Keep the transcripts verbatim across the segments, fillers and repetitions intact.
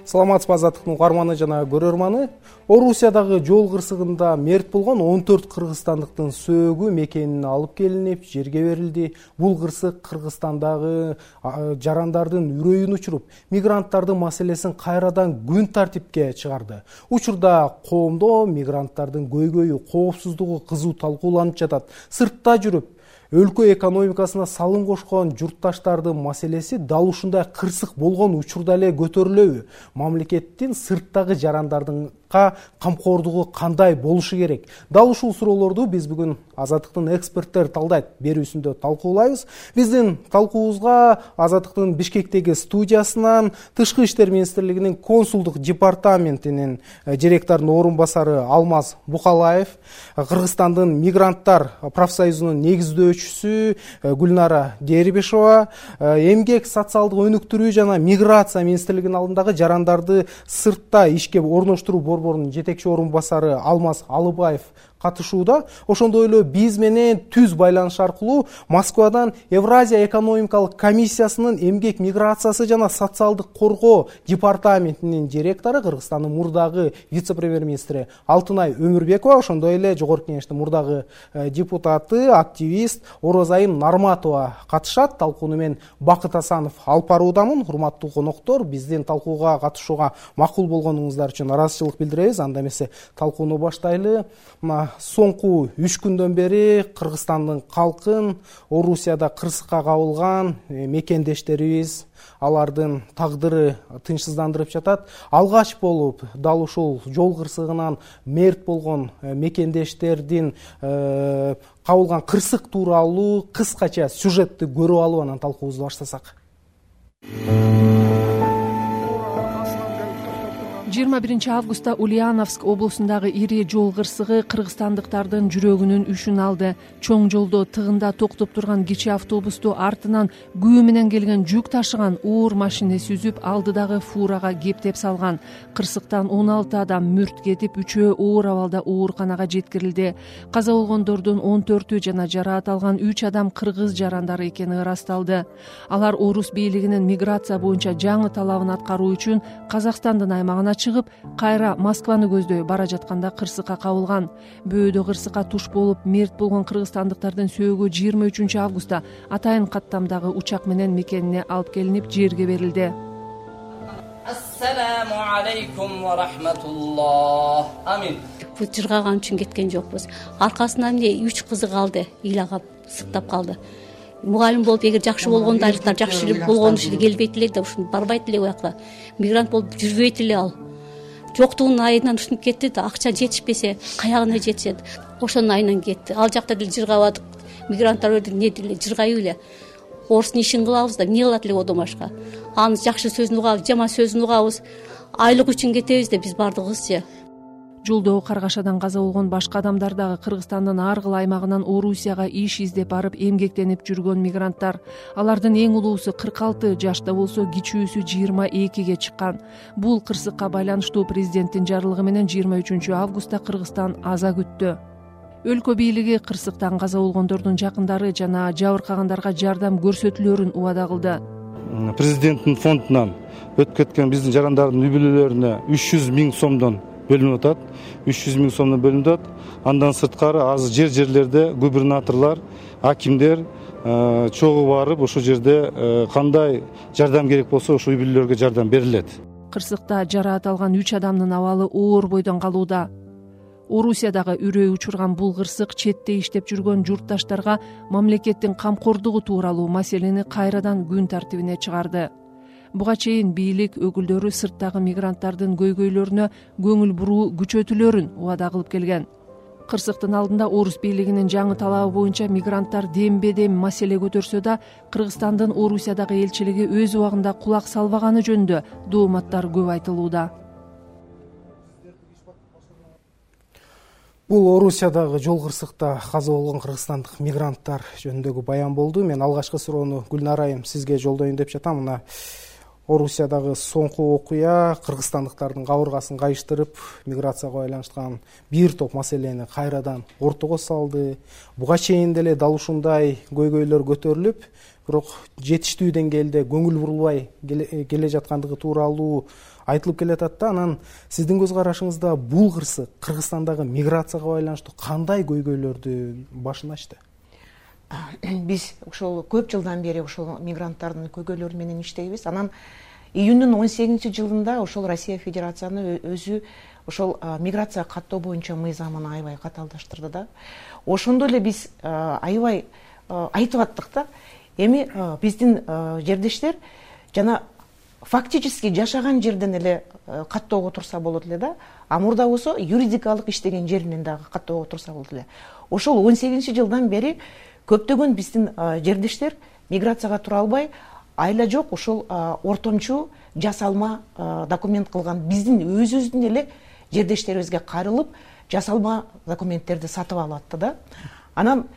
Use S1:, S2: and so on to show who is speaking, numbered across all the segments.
S1: Саламатсызбы Азаттыктын угарманы жана көрөрманы. Орусиядагы жол кырсыгында мерт болгон он төрт кыргызстандыктын сөөгү мекенине алып келинип, жерге берилди. Бул кырсык Кыргызстандагы жарандардын үрөйүн учуруп, мигранттардын маселесин кайрадан күн тартипке чыгарды. Учурда коомдо мигранттардын көйгөйү, коопсуздугу кызуу талкууланып жатат. Сыртта жүрүп, өлкө экономикасына салым кошкон журтташтардын маселеси дал ушундай кырсык болгон учурда эле көтөрүлөбү? Мамлекеттин сырттагы жарандардын камкордугу кандай болушу керек? Дал ушул суроолорду биз бүгүн Азаттыктын эксперттер талдайт берүүсүндө талкуулайбыз. Биздин талкуубузга Азаттыктын Бишкектеги студиясынан Тышкы иштер министрлигинин консулдук департаментинин директорунун орун басары Алмаз Букалаев, Кыргызстандын мигранттар профсоюзунун негиздөөчүсү Гүлнара Дербишова, эмгек социалдык өнүктүрүү жана миграция министрлигинин алдындагы жарандарды сыртта ишке орноштуруу борборунун жетекчи орун басары Алмаз Алыбаев катышууда. Ошондой эле биз менен түз байланыш аркылуу Москвадан Евразия экономикалык комиссиясынын эмгек миграциясы жана социалдык коргоо департаментинин директору, Кыргызстандын мурдагы вице-премьер-министри Алтынай Өмүрбекова, ошондой эле Жогорку Кеңештин мурдагы депутаты, активист Орозайым Нарматова катышат. Талкууну мен Бакыт Асанов алып баруудамын. Урматтуу коноктор, биздин талкууга катышууга макул болгонуңуздар үчүн ыраазычылык билдиребиз. Анда эмесе талкууну баштайлы. Соңку үч күндөн бери Кыргызстандын калкын Орусияда кырсыкка кабылган мекендештерибиз, алардын тагдыры тынчсыздандырып жатат. Алгач болуп дал ушул жол кырсыгынан мерт болгон мекендештердин кабылган кырсык тууралуу кыскача сюжетти көрүп алып анан талкуубузду баштасак.
S2: жыйырма биринчи августта Ульяновск облусундагы ири жол кырсыгы кыргызстандыктардын жүрөгүнүн үшүн алды. Чоң жолдо тыгында токтоп турган кичи автобусту артынан күү менен келген жүк ташыган уур машинеси үзүп, алдыдагы фурага кептеп салган. Кырсыктан он алты адам мүрт кетип, үчөө оор абалда ооруканага жеткирилди. Каза болгондордун он төртү жана жараат алган үч адам кыргыз жарандары экени ырасталды. Алар Орус бийлигинин миграция боюнча жаңы талабын аткаруу үчүн Казакстандын аймагына чыгып, кайра Москваны көздөй бара жатканда кырсыкка кабылган. Бөөдө кырсыкка туш болуп мерт болгон кыргызстандыктардын сөөгү жыйырма үчүнчү августта атайын каттамдагы учак менен мекенине алып келинип, жерге берилди.
S3: Ассаламу алейкум ва рахматуллах. Амин.
S4: Бул жыргаган үчүн кеткен жокпуз. Аркасынан эмне үч кызы калды, ыйлагап, сыктап калды. Мугалим болуп, эгер жакшы болгондо айлыктар жакшы болгон ушул келбейт эле да, ушун барбайт эле буякка. Мигрант болуп жүрбөйт эле ал. Жоктугунун айынан ушунуп кетти да, акча жетишпесе, каягына жетишет. Ошонун айынан кетти. Ал жакта деле жыргабадык. Мигранттар өлдү, не деле жыргайбы эле. Орустун ишин кылабыз да, эмне кылат эле одон башка. Анын жакшы сөзүн угабыз, жаман сөзүн угабыз. Айлык үчүн кетебиз да биз бардыгыбызчы.
S2: Жолдогу каргашадан каза болгон башка адамдар дагы Кыргызстандын ар кыл аймагынан Орусияга иш издеп барып эмгектенип жүргөн мигранттар. Алардын эң улуусу кырк алты жашта болсо, кичүүсү жыйырма экиге чыккан. Бул кырсыкка байланыштуу президенттин жарлыгы менен жыйырма үчүнчү августта Кыргызстан аза күттү. Өлкө бийлиги кырсыктан каза болгондордун жакындары жана жабыркагандарга жардам көрсөтүлөрүн убада кылды.
S5: Президенттин фондунан өтүп кеткен биздин жарандардын үй бүлөлөрүнө үч жүз миң сомдон бөлүнүп атат. үч жүз миң сомдон бөлүнүп атат. Андан сырткары азыр жер-жерлерде губернаторлор, акимдер чогуу барып, ошол жерде кандай жардам керек болсо, ошол үй бүлөлөргө жардам берилет.
S2: Кырсыкта жараат алган үч адамдын абалы оор бойдон калууда. Орусиядагы үрөй учурган бул кырсык четте иштеп жүргөн журтташтарга мамлекеттин камкордугу тууралуу маселени кайрадан күн тартибине чыгарды. Буга чейин бийлик өкүлдөрү сырттагы мигранттардын көйгөйлөрүнө көңүл буруу күчөтүлөрүн убада кылып келген. Кырсыктын алдында Орус бийлигинин жаңы талабы боюнча мигранттар дембе-дем маселе көтөрсө да, Кыргызстандын Орусиядагы элчилиги өз убагында кулак салбаганы жөнүндө дооматтар көп айтылууда.
S1: Бул Орусиядагы жол кырсыкта каза болгон кыргызстандык мигранттар жөнүндөгү баян болду. Мен алгачкы суроону Гүлнара айым сизге жолдоюн деп жатам. Мына Орусиядагы соңку окуя кыргызстандыктардын кабыргасын кайыштырып, миграцияга байланышкан бир топ маселени кайрадан ортого салды. Буга чейин деле дал ушундай көйгөйлөр көтөрүлүп, бирок жетиштүү деңгээлде көңүл бурулбай келе жаткандыгы тууралуу айтылып келатат да. Анан сиздин көз карашыңызда бул кырсык Кыргызстандагы миграцияга байланыштуу кандай көйгөйлөрдү башын ачты?
S6: Биз ошол көп жылдан бери ошол мигранттардын көйгөйлөрү менен иштейбиз. Анан июндун он сегизинчи жылында ошол Россия Федерацияны өзү ошол миграция каттоо боюнча мыйзамын аябай катаалдаштырды да. Ошондо эле биз аябай айтып аттык да. Эми биздин жердештер жана фактически жашаган жерден эле каттоого турса болот эле да. А мурда болсо юридикалык иштеген жеринен дагы каттоого турса болот эле. Ошол он сегизинчи жылдан бери көптөгөн биздин жердештер миграцияга тура албай, айла жок ошол ортомчу жасалма документ кылган биздин өзүбүздүн эле жердештерибизге кайрылып, жасалма документтерди сатып алып атты да. Анан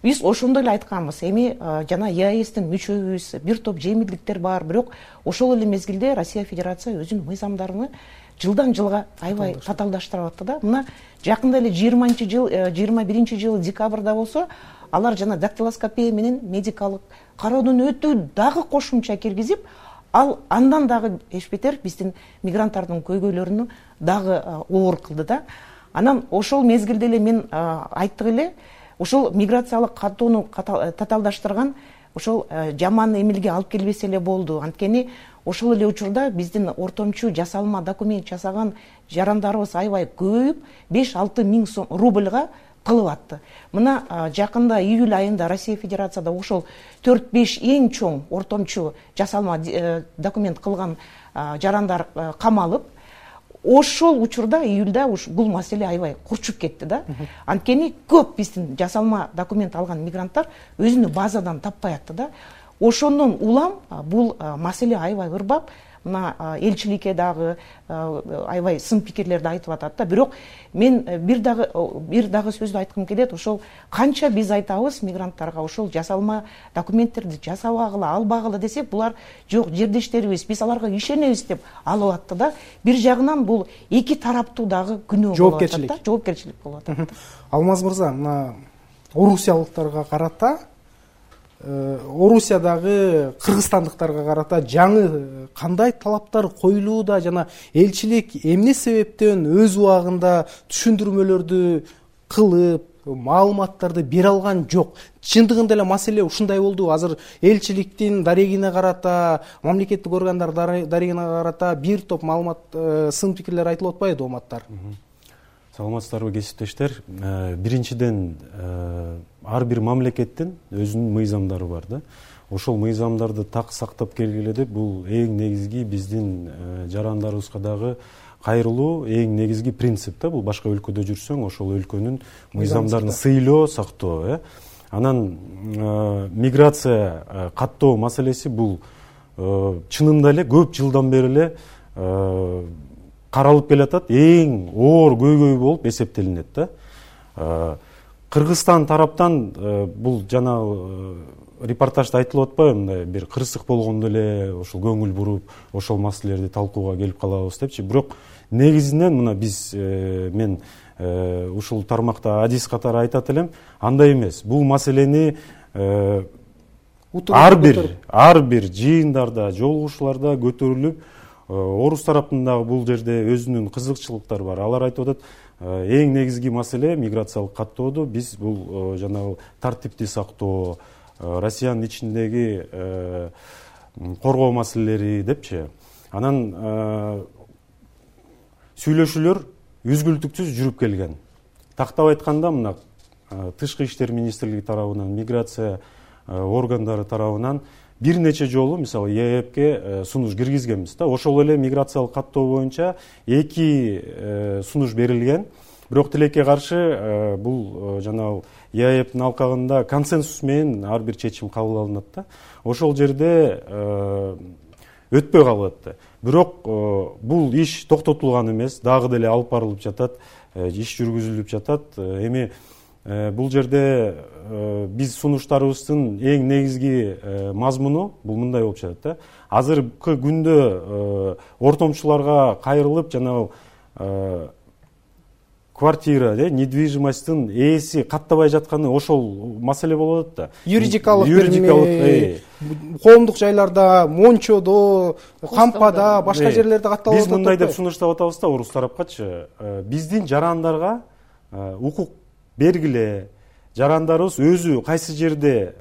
S6: биз ошондой эле айтканбыз. Эми жана ЕАЭСтин мүчөбүз, бир топ жеңилдиктер бар, бирок ошол эле мезгилде Россия Федерация өзүнүн мыйзамдарын жылдан жылга аябай татаалдаштырып атты да. Мына жакында эле жыйырманчы жыл, жыйырма биринчи жылы декабрда болсо, алар жана дактилоскопия менен медикалык кароодон өтүү дагы кошумча киргизип, ал андан дагы эч бетер биздин мигранттардын көйгөйлөрүнү дагы оор кылды да. Анан ошол мезгилде эле мен айттык эле, ошол миграциялык каттоону татаалдаштырган ошол жаман эмелге алып келбесе эле болду. Анткени ошол эле учурда биздин ортомчу жасалма документ жасаган жарандарыбыз аябай көбөйүп, беш алты миң сом рубльга кылып атты. Мына жакында июль айында Россия Федерацияда ошол төрт беш эң чоң ортомчу жасалма документ кылган жарандар камалып, ошол учурда июльда бул маселе аябай курчуп кетти да. Анткени көп биздин жасалма документ алган мигранттар өзүнүн базадан таппай атты да. Ошондон улам бул маселе аябай ырбап, мына элчиликке дагы аябай сын пикирлерди айтып атат да. Бирок мен бир дагы бир дагы сөздү айткым келет. Ошол канча биз айтабыз мигранттарга ошол жасалма документтерди жасабагыла, албагыла десек, булар жок, жердештерибиз, биз аларга ишенебиз деп алып атты да. Бир жагынан бул эки тараптуу дагы күнөө болуп атат да, жоопкерчилик болуп атат.
S1: Алмаз мырза, мына орусиялыктарга карата, Орусиядагы кыргызстандыктарга карата жаңы кандай талаптар коюлууда жана элчилик эмне себептен өз убагында түшүндүрмөлөрдү кылып, маалыматтарды бере алган жок? Чындыгында эле маселе ушундай болду. Азыр элчиликтин дарегине карата, мамлекеттик органдар дарегине карата бир топ маалымат, сын пикирлер айтылып атпайбы, дооматтар?
S7: Саламатсыздарбы кесиптештер. Биринчиден, ар бир мамлекеттин өзүнүн мыйзамдары бар да. Ошол мыйзамдарды так сактап келгиле деп, бул эң негизги биздин жарандарыбызга дагы кайрылуу эң негизги принцип да. Бул башка өлкөдө жүрсөң, ошол өлкөнүн мыйзамдарын сыйлоо, сактоо. Анан миграция каттоо маселеси бул чынында эле көп жылдан бери эле каралып келатат, эң оор көйгөй болуп эсептелинет да. Кыргызстан тараптан бул жана репортажда айтылып атпайбы, мындай бир кырсык болгондо эле ошол көңүл буруп, ошол маселелерди талкууга келип калабыз депчи. Бирок негизинен мына биз мен ушул тармакта адис катары айтат элем, андай эмес. Бул маселени ар бир ар бир жыйындарда, жолугушууларда көтөрүлүп, орус тараптын бул жерде өзүнүн кызыкчылыктары бар. Алар айтып атат, эң негизги маселе миграциялык каттоодо биз бул жанагы тартипти сактоо, Россиянын ичиндеги коргоо маселелери депчи. Анан сүйлөшүүлөр үзгүлтүксүз жүрүп келген. Тактап айтканда, мына Тышкы иштер министрлиги тарабынан, миграция органдары тарабынан бир нече жолу, мисалы, ЕЭПке сунуш киргизгенбиз да. Ошол эле миграциялык каттоо боюнча эки сунуш берилген. Бирок тилекке каршы бул жанагы ЕАЭПтин алкагында консенсус менен ар бир чечим кабыл алынат да. Ошол жерде өтпөй калат. Бирок бул иш токтотулган эмес, дагы деле алып барылып жатат, иш жүргүзүлүп жатат. Эми бул жерде биз сунуштарыбыздын эң негизги мазмуну бул мындай болуп жатат да. Азыркы күндө ортомчуларга кайрылып, жанагы квартира, недвижимосттун ээси каттабай жатканы ошол маселе болуп атат да.
S1: Юридикалык юридикалык коомдук жайларда, Мончодо, Кампада, башка жерлерде катталып атат.
S7: Биз мындай деп сунуштап атабыз да орус тарапкачы. Биздин жарандарга укук бергиле, жарандарыбыз өзү кайсы жерде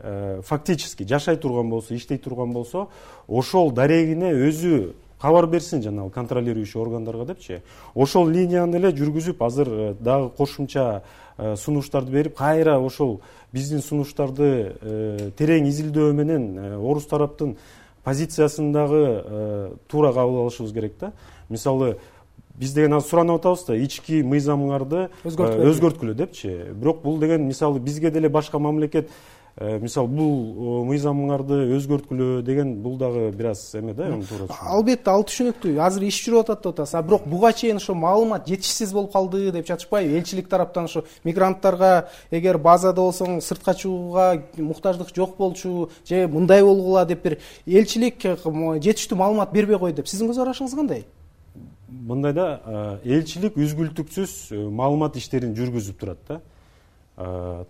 S7: фактически жашай турган болсо, иштей турган болсо, ошол дарегине өзү кабар берсин жанагы контролирующий органдарга депчи. Ошол линияны эле жүргүзүп, азыр дагы кошумча сунуштарды берип, кайра ошол биздин сунуштарды терең изилдөө менен орус тараптын позициясын дагы туура кабыл алышыбыз керек да. Мисалы, биз деген азыр суранып атабыз да, ички мыйзамыңарды өзгөрткүлө депчи. Бирок бул деген мисалы бизге деле башка мамлекет мисалы бул мыйзамыңарды өзгөрткүлө деген бул дагы бир аз эме да, туура.
S1: Албетте, ал түшүнүктүү. Азыр иш жүрүп атат деп атасыз. А бирок буга чейин ошо маалымат жетишсиз болуп калды деп жатышпайбы? Элчилик тараптан ошо мигранттарга эгер базада болсоң сыртка чыгууга муктаждык жок болчу, же мындай болгула деп бир элчилик жетиштүү маалымат бербей койду деп. Сиздин көз карашыңыз кандай?
S7: Мындай да, элчилик үзгүлтүксүз маалымат иштерин жүргүзүп турат да.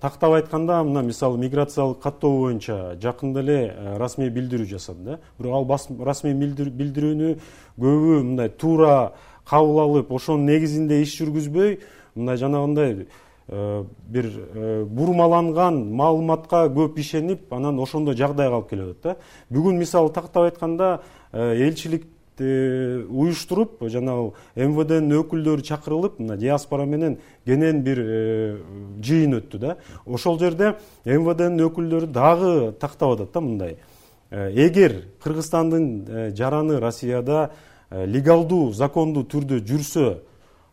S7: Тактап айтканда, мына мисалы миграциялык каттоо боюнча жакында эле расмий билдирүү жасады да. Бирок ал расмий билдирүүнү көбү мындай туура кабыл алып, ошонун негизинде иш жүргүзбөй, мындай жанагындай бир бурмаланган маалыматка көп ишенип, анан ошондой жагдайга алып келип атат да. Бүгүн мисалы тактап айтканда элчилик уюштуруп, жанагы эм вэ дэнин өкүлдөрү чакырылып, мына диаспора менен кенен бир жыйын өттү да. Ошол жерде эм вэ дэнин өкүлдөрү дагы тактап атат да мындай. Эгер Кыргызстандын жараны Россияда легалдуу, закондуу түрдө жүрсө,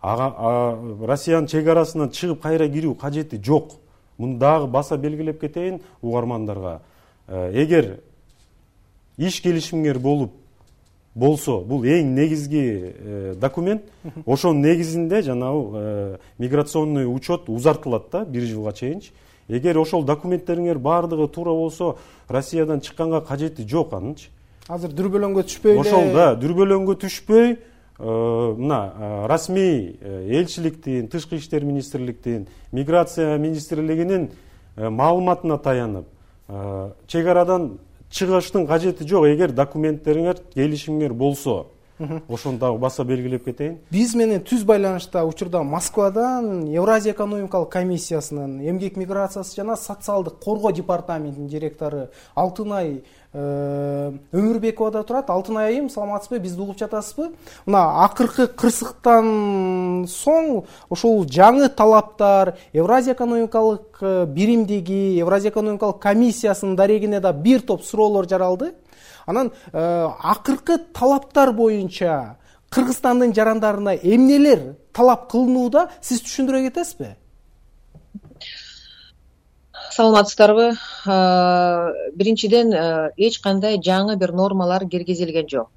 S7: Россиянын чек арасынан чыгып кайра кирүү кажети жок. Муну дагы баса белгилеп кетейин угармандарга. Эгер иш келишимгер болуп болсо, бул эң негизги документ. Ошонун негизинде жанагы миграционный учет узартылат да бир жылга чейинчи. Эгер ошол документтериңер баардыгы туура болсо, Россиядан чыкканга кажети жок анынчы.
S1: Азыр дүрбөлөңгө түшпөй эле.
S7: Ошол да, дүрбөлөңгө түшпөй, мына расмий элчиликтин, тышкы иштер министрликтин, миграция министрлигинин маалыматына таянып, чек арадан чыгыштын кажети жок. Эгер документтериңер, келишимиңер болсо, ошону дагы баса белгилеп кетейин.
S1: Биз менен түз байланышта учурда Москвадан Евразия экономикалык комиссиясынын эмгек миграциясы жана социалдык коргоо департаментинин директору Алтынай Өмүрбекова да турат. Алтынай айым, саламатсызбы? Бизди угуп жатасызбы? Мына акыркы кырсыктан соң ошол жаңы талаптар Евразия экономикалык биримдиги, Евразия экономикалык комиссиясынын дарегине да бир топ суроолор жаралды. Анан акыркы талаптар боюнча Кыргызстандын жарандарына эмнелер талап кылынууда, сиз түшүндүрө кетесизби?
S8: Саламатсыздарбы? Биринчиден, эч кандай жаңы бир нормалар киргизилген жок.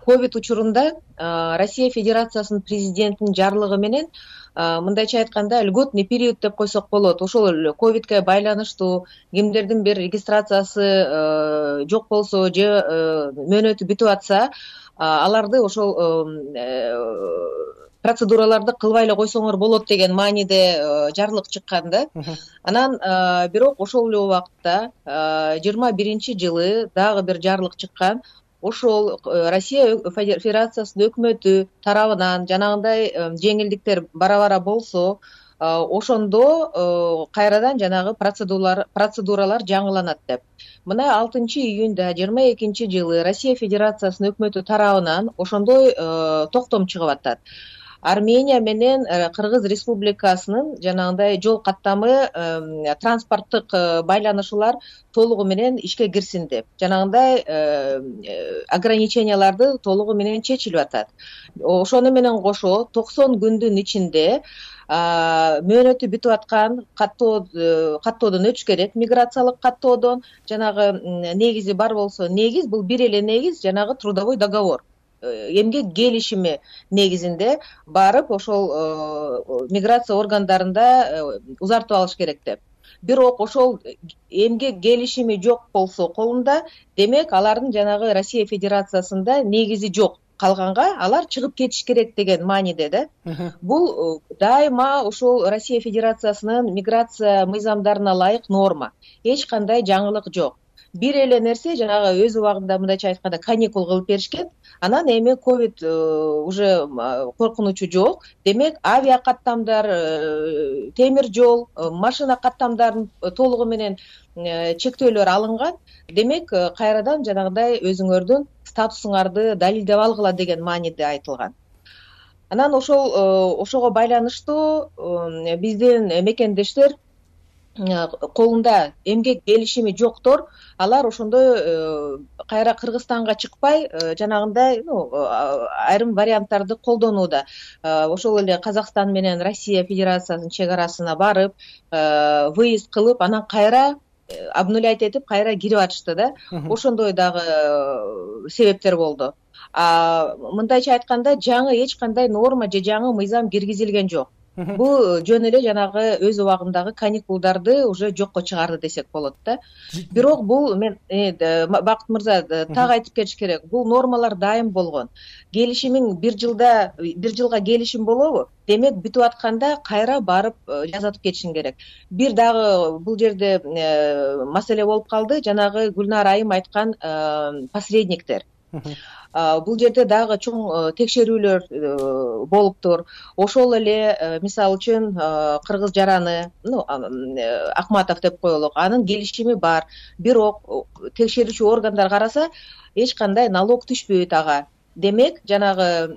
S8: Ковид учурунда Россия Федерациясынын президентинин жарлыгы менен, мындайча айтканда, льготный период деп койсок болот. Ошол ковидке байланыштуу кимдердин бир регистрациясы жок болсо же мөөнөтү бүтүп атса, аларды ошол процедураларды кылбай эле койсоңор болот деген мааниде жарлык чыккан да. Анан бирок ошол эле убакытта жыйырма биринчи жылы дагы бир жарлык чыккан. Ошол Россия Федерациясынын өкмөтү тарабынан жанагындай жеңилдиктер бара-бара болсо, ошондо кайрадан жанагы процедуралар процедуралар жаңыланат деп. Мына алтынчы июнда жыйырма экинчи жылы Россия Федерациясынын өкмөтү тарабынан ошондой токтом чыгып атат. Армения менен Кыргыз Республикасынын жанагындай жол каттамы, транспорттук байланышуулар толугу менен ишке кирсин деп. Жанагындай ограниченияларды толугу менен чечилип атат. Ошону менен кошо токсон күндүн ичинде мөөнөтү бүтүп аткан каттоо каттоодон өтүш керек. Миграциялык каттоодон жанагы негизи бар болсо, негиз бул бир эле негиз, жанагы трудовой договор. Эмгек келишими негизинде барып ошол миграция органдарында узартып алыш керек деп. Бирок ошол эмгек келишими жок болсо колунда, демек алардын жанагы Россия Федерациясында негизи жок калганга алар чыгып кетиш керек деген мааниде да. Бул дайыма ошол Россия Федерациясынын миграция мыйзамдарына ылайык норма. Эч кандай жаңылык жок. Бир эле нерсе жанагы өз убагында мындайча айтканда каникул кылып беришкен. Анан эми ковид уже коркунучу жок. Демек авиа каттамдар, темир жол, машина каттамдарын толугу менен чектөөлөр алынган. Демек кайрадан жанагындай өзүңөрдүн статусуңарды далилдеп алгыла деген мааниде айтылган. Анан ошол ошого байланыштуу биздин мекендештер колунда эмгек келишими жоктор, алар ошондой кайра Кыргызстанга чыкпай жанагындай айрым варианттарды колдонууда. Ошол эле Казакстан менен Россия Федерациясынын чек арасына барып, выезд кылып, анан кайра обнулять этип кайра кирип атышты да. Ошондой дагы себептер болду. А мындайча айтканда жаңы эч кандай норма же жаңы мыйзам киргизилген жок. Бул жөн эле жанагы өз убагындагы каникулдарды уже жокко чыгарды десек болот да. Бирок бул мен Бакыт мырза так айтып кетиш керек. Бул нормалар дайым болгон. Келишимиң бир жылда бир жылга келишим болобу? Демек бүтүп атканда кайра барып жазатып кетишиң керек. Бир дагы бул жерде маселе болуп калды. Жанагы Гүлнар айым айткан посредниктер. Бул жерде дагы чоң текшерүүлөр болуптур. Ошол эле мисалы үчүн Кыргыз жараны, ну Акматов деп коелук, анын келишими бар. Бирок текшерүүчү органдар караса эч кандай налог түшпөйт ага. Демек жанагы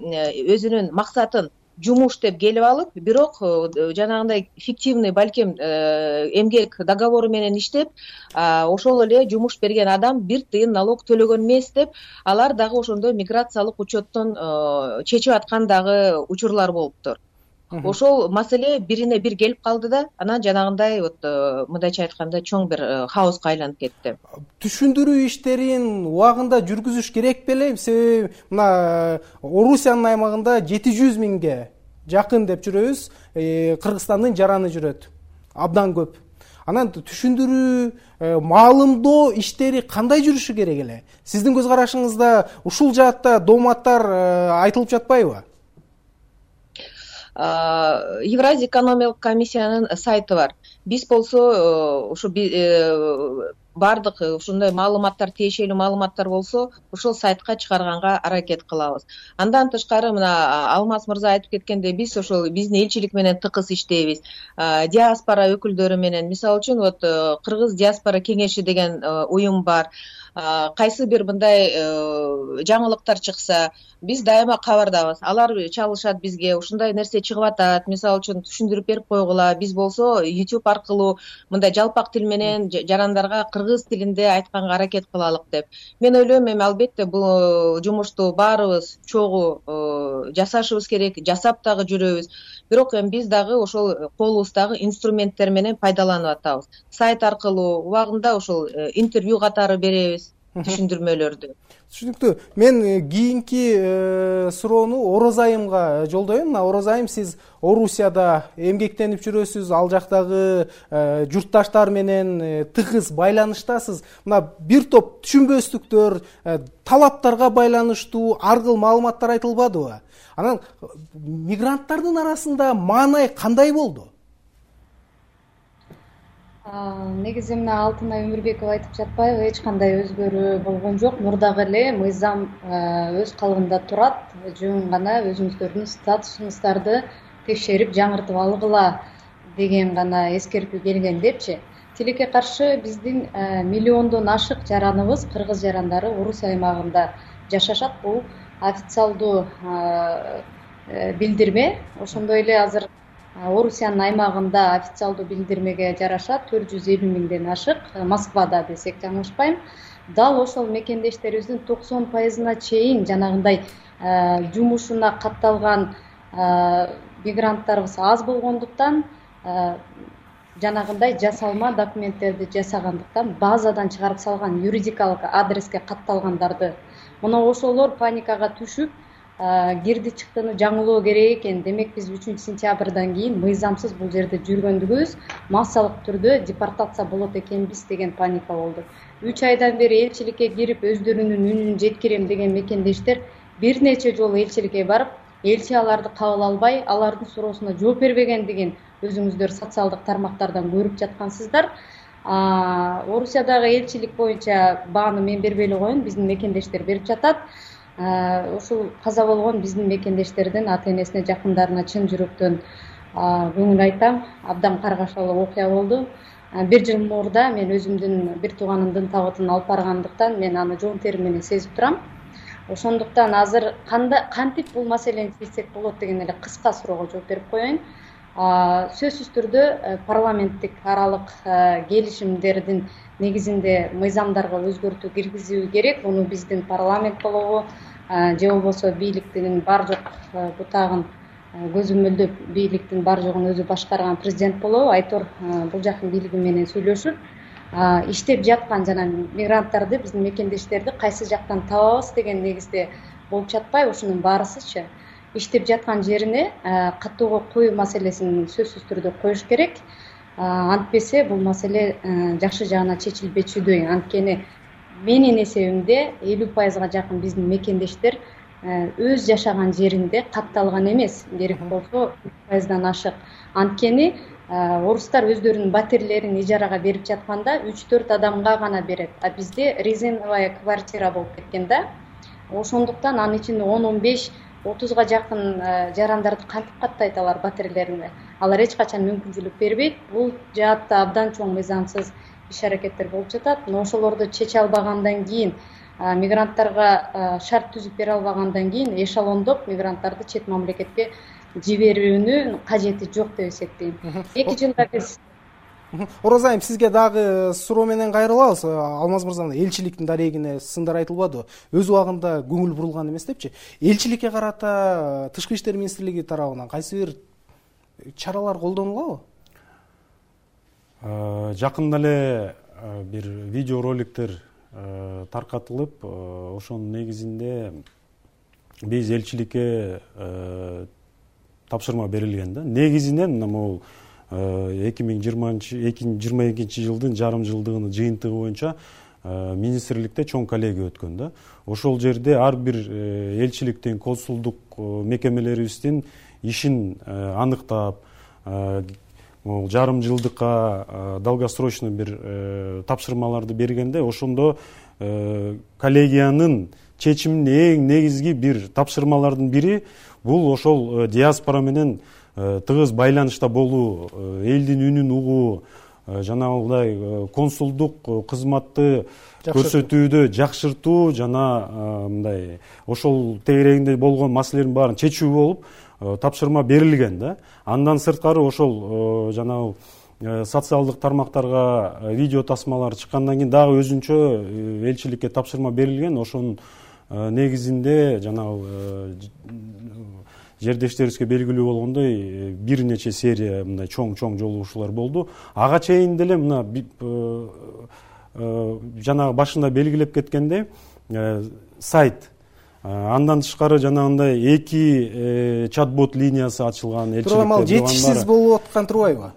S8: өзүнүн максатын жумуш деп келип алып, бирок жанагындай фиктивный балким эмгек договору менен иштеп, ошол эле жумуш берген адам бир тыйын налог төлөгөн эмес деп, алар дагы ошондой миграциялык учеттон чечип аткан дагы учурлар болуптур. Ошол маселе бирине бир келип калды да, анан жанагындай вот мындайча айтканда чоң бир хаоска айланып кетти.
S1: Түшүндүрүү иштерин убагында жүргүзүш керек беле? Себеби мына Орусиянын аймагында жети жүз миңге жакын деп жүрөбүз, Кыргызстандын жараны жүрөт. Абдан көп. Анан түшүндүрүү, маалымдоо иштери кандай жүрүшү керек эле? Сиздин көз карашыңызда ушул жаатта дооматтар айтылып жатпайбы?
S8: Евразия экономикалык комиссиянын сайты бар. Биз болсо ушу бардык ушундай маалыматтар, тиешелүү маалыматтар болсо, ошол сайтка чыгарганга аракет кылабыз. Андан тышкары мына Алмаз мырза айтып кеткендей, биз ошол биздин элчилик менен тыкыз иштейбиз. Диаспора өкүлдөрү менен, мисалы үчүн вот Кыргыз диаспора кеңеши деген уюм бар. Кайсы бир мындай жаңылыктар чыкса, биз дайыма кабардабыз. Алар чалышат бизге, ушундай нерсе чыгып атат, мисалы үчүн түшүндүрүп берип койгула. Биз болсо YouTube аркылуу мындай жалпак тил менен жарандарга кыргыз тилинде айтканга аракет кылалык деп. Мен ойлойм, эми албетте бул жумушту баарыбыз чогуу жасашыбыз керек, жасап дагы жүрөбүз. Бирок эми биз дагы ошол колубуздагы инструменттер менен пайдаланып атабыз. Сайт аркылуу убагында ошол интервью катары беребиз, түшүндүрмөлөрдү.
S1: Түшүнүктүү. Мен кийинки суроону Ороз айымга жолдоюм. Ороз айым, сиз Орусияда эмгектенип жүрөсүз, ал жактагы журтташтар менен тыгыз байланыштасыз. Мына бир топ түшүнбөстүктөр, талаптарга байланыштуу ар кыл маалыматтар айтылбадыбы? Анан мигранттардын арасында маанай кандай болду?
S9: Негизи мына Алтынай Өмүрбекова айтып жатпайбы, эч кандай өзгөрүү болгон жок. Мурдагы эле мыйзам өз калыбында турат. Жөн гана өзүңүздөрдүн статусуңуздарды текшерип жаңыртып алгыла деген гана эскертүү келген депчи. Тилекке каршы биздин миллиондон ашык жараныбыз, кыргыз жарандары Орусия аймагында жашашат. Бул официалдуу билдирме. Ошондой эле азыр Орусиянын аймагында официалдуу билдирмеге жараша төрт жүз элүү миңден ашык, Москвада десек жаңылышпайм. Дал ошол мекендештерибиздин токсон пайызына чейин жанагындай жумушуна катталган мигранттарыбыз аз болгондуктан, жанагындай жасалма документтерди жасагандыктан базадан чыгарып салган юридикалык адреске катталгандарды. Мына ошолор паникага түшүп, кирди чыктыны жаңылоо керек экен. Демек биз үчүнчү сентябрдан кийин мыйзамсыз бул жерде жүргөндүгүбүз массалык түрдө депортация болот экенбиз деген паника болду. үч айдан бери элчиликке кирип өздөрүнүн үнүн жеткирем деген мекендештер бир нече жолу элчиликке барып, элчи аларды кабыл албай, алардын суроосуна жооп бербегендигин өзүңүздөр социалдык тармактардан көрүп жаткансыздар. Орусиядагы элчилик боюнча бааны мен бербей эле коеюн, биздин мекендештер берип жатат. Ушул каза болгон биздин мекендештердин ата энесине, жакындарына чын жүрөктөн көңүл айтам. Абдан каргашалуу окуя болду. Бир жыл мурда мен өзүмдүн бир тууганымдын табытын алып баргандыктан мен аны жоон терим менен сезип турам. Ошондуктан азыр кантип бул маселени чечсек болот деген эле кыска суроого жооп берип коеюн. Сөзсүз түрдө парламенттик аралык келишимдердин негизинде мыйзамдарга өзгөртүү киргизүү керек. Муну биздин парламент болобу же болбосо бийликтин бар жок бутагын көзөмөлдөп, бийликтин бар жогун өзү башкарган президент болобу, Айтор бул жактын бийлиги менен сүйлөшүп, иштеп жаткан жана мигранттарды, биздин мекендештерди кайсы жактан табабыз деген негизде болуп жатпайбы? Ушунун баарысычы иштеп жаткан жерине катууга коюу маселесин сөзсүз түрдө коюш керек. Антпесе бул маселе жакшы жагына чечилбечүдөй. Анткени менин эсебимде элүү пайызга жакын биздин мекендештер өз жашаган жеринде катталган эмес, керек болсо үч пайыздан ашык. Анткени орустар өздөрүнүн батирлерин ижарага берип жатканда үч төрт адамга гана берет, а бизде резиновая квартира болуп кеткен да. Ошондуктан анын ичинде он он беш отузга жакын жарандарды кантип каттайт алар батирлерине? Алар эч качан мүмкүнчүлүк бербейт. Бул жаатта абдан чоң мыйзамсыз иш-аракеттер болуп жатат. Но ошолорду чече албагандан кийин, мигранттарга шарт түзүп бере албагандан кийин эшелондоп мигранттарды чет мамлекетке жиберүүнүн кажети жок деп эсептейм. эки жылда биз
S1: Ороза айым, сизге дагы суроо менен кайрылабыз. Алмаз мырза, элчиликтин дарегине сындар айтылбады. Өз убагында көңүл бурулган эмес депчи. Элчиликке карата Тышкы иштер министрлиги тарабынан кайсы бир чаралар колдонулабы?
S7: Жакында эле бир видео роликтер таркатылып, ошонун негизинде биз элчиликке тапшырма берилген да. Негизинен могу эки миң жыйырма экинчи жылдын жарым жылдыгынын жыйынтыгы боюнча министрликте чоң коллегия өткөн да. Ошол жерде ар бир элчиликтин, консулдук мекемелерибиздин ишин аныктап, жарым жылдыкка долгосрочный бир тапшырмаларды бергенде, ошондо коллегиянын чечиминин эң негизги бир тапшырмалардын бири бул ошол диаспора менен тыгыз байланышта болуу, элдин үнүн угуу, жанагындай консулдук кызматты көрсөтүүдө жакшыртуу жана мындай ошол тегерегинде болгон маселелердин баарын чечүү болуп тапшырма берилген да. Андан сырткары ошол жанагы социалдык тармактарга видео тасмалар чыккандан кийин дагы өзүнчө элчиликке тапшырма берилген. Ошонун негизинде жанагы жердештерибизге белгилүү болгондой бир нече серия мындай чоң-чоң жолугушуулар болду. Ага чейин деле мына жанагы башында белгилеп кеткендей сайт, андан тышкары жанагындай эки чат-бот линиясы ачылган элчиликте.
S1: Турган жетишсиз болуп аткан турбайбы?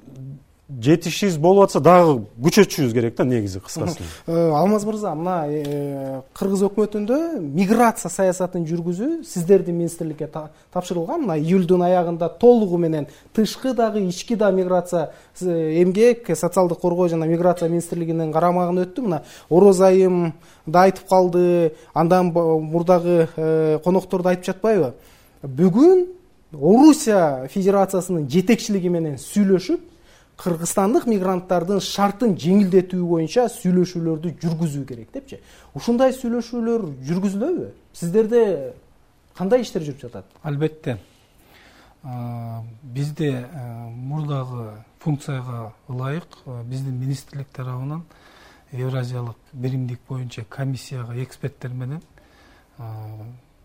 S7: Жетишсиз болуп атса дагы күчөтүшүбүз керек да, негизи кыскасы.
S1: Алмаз мырза, мына Кыргыз өкмөтүндө миграция саясатын жүргүзүү сиздердин министрликке тапшырылган. Мына июлдун аягында толугу менен тышкы дагы ички да миграция эмгек, социалдык коргоо жана миграция министрлигинин карамагына өттү. Мына Ороза айым да айтып калды, андан мурдагы коноктор да айтып жатпайбы? Бүгүн Орусия Федерациясынын жетекчилиги менен сүйлөшүп, кыргызстандык мигранттардын шартын жеңилдетүү боюнча сүйлөшүүлөрдү жүргүзүү керек депчи. Ушундай сүйлөшүүлөр жүргүзүлөбү? Сиздерде кандай иштер жүрүп жатат?
S10: Албетте. Бизде мурдагы функцияга ылайык биздин министрлик тарабынан Евразиялык биримдик боюнча комиссияга эксперттер менен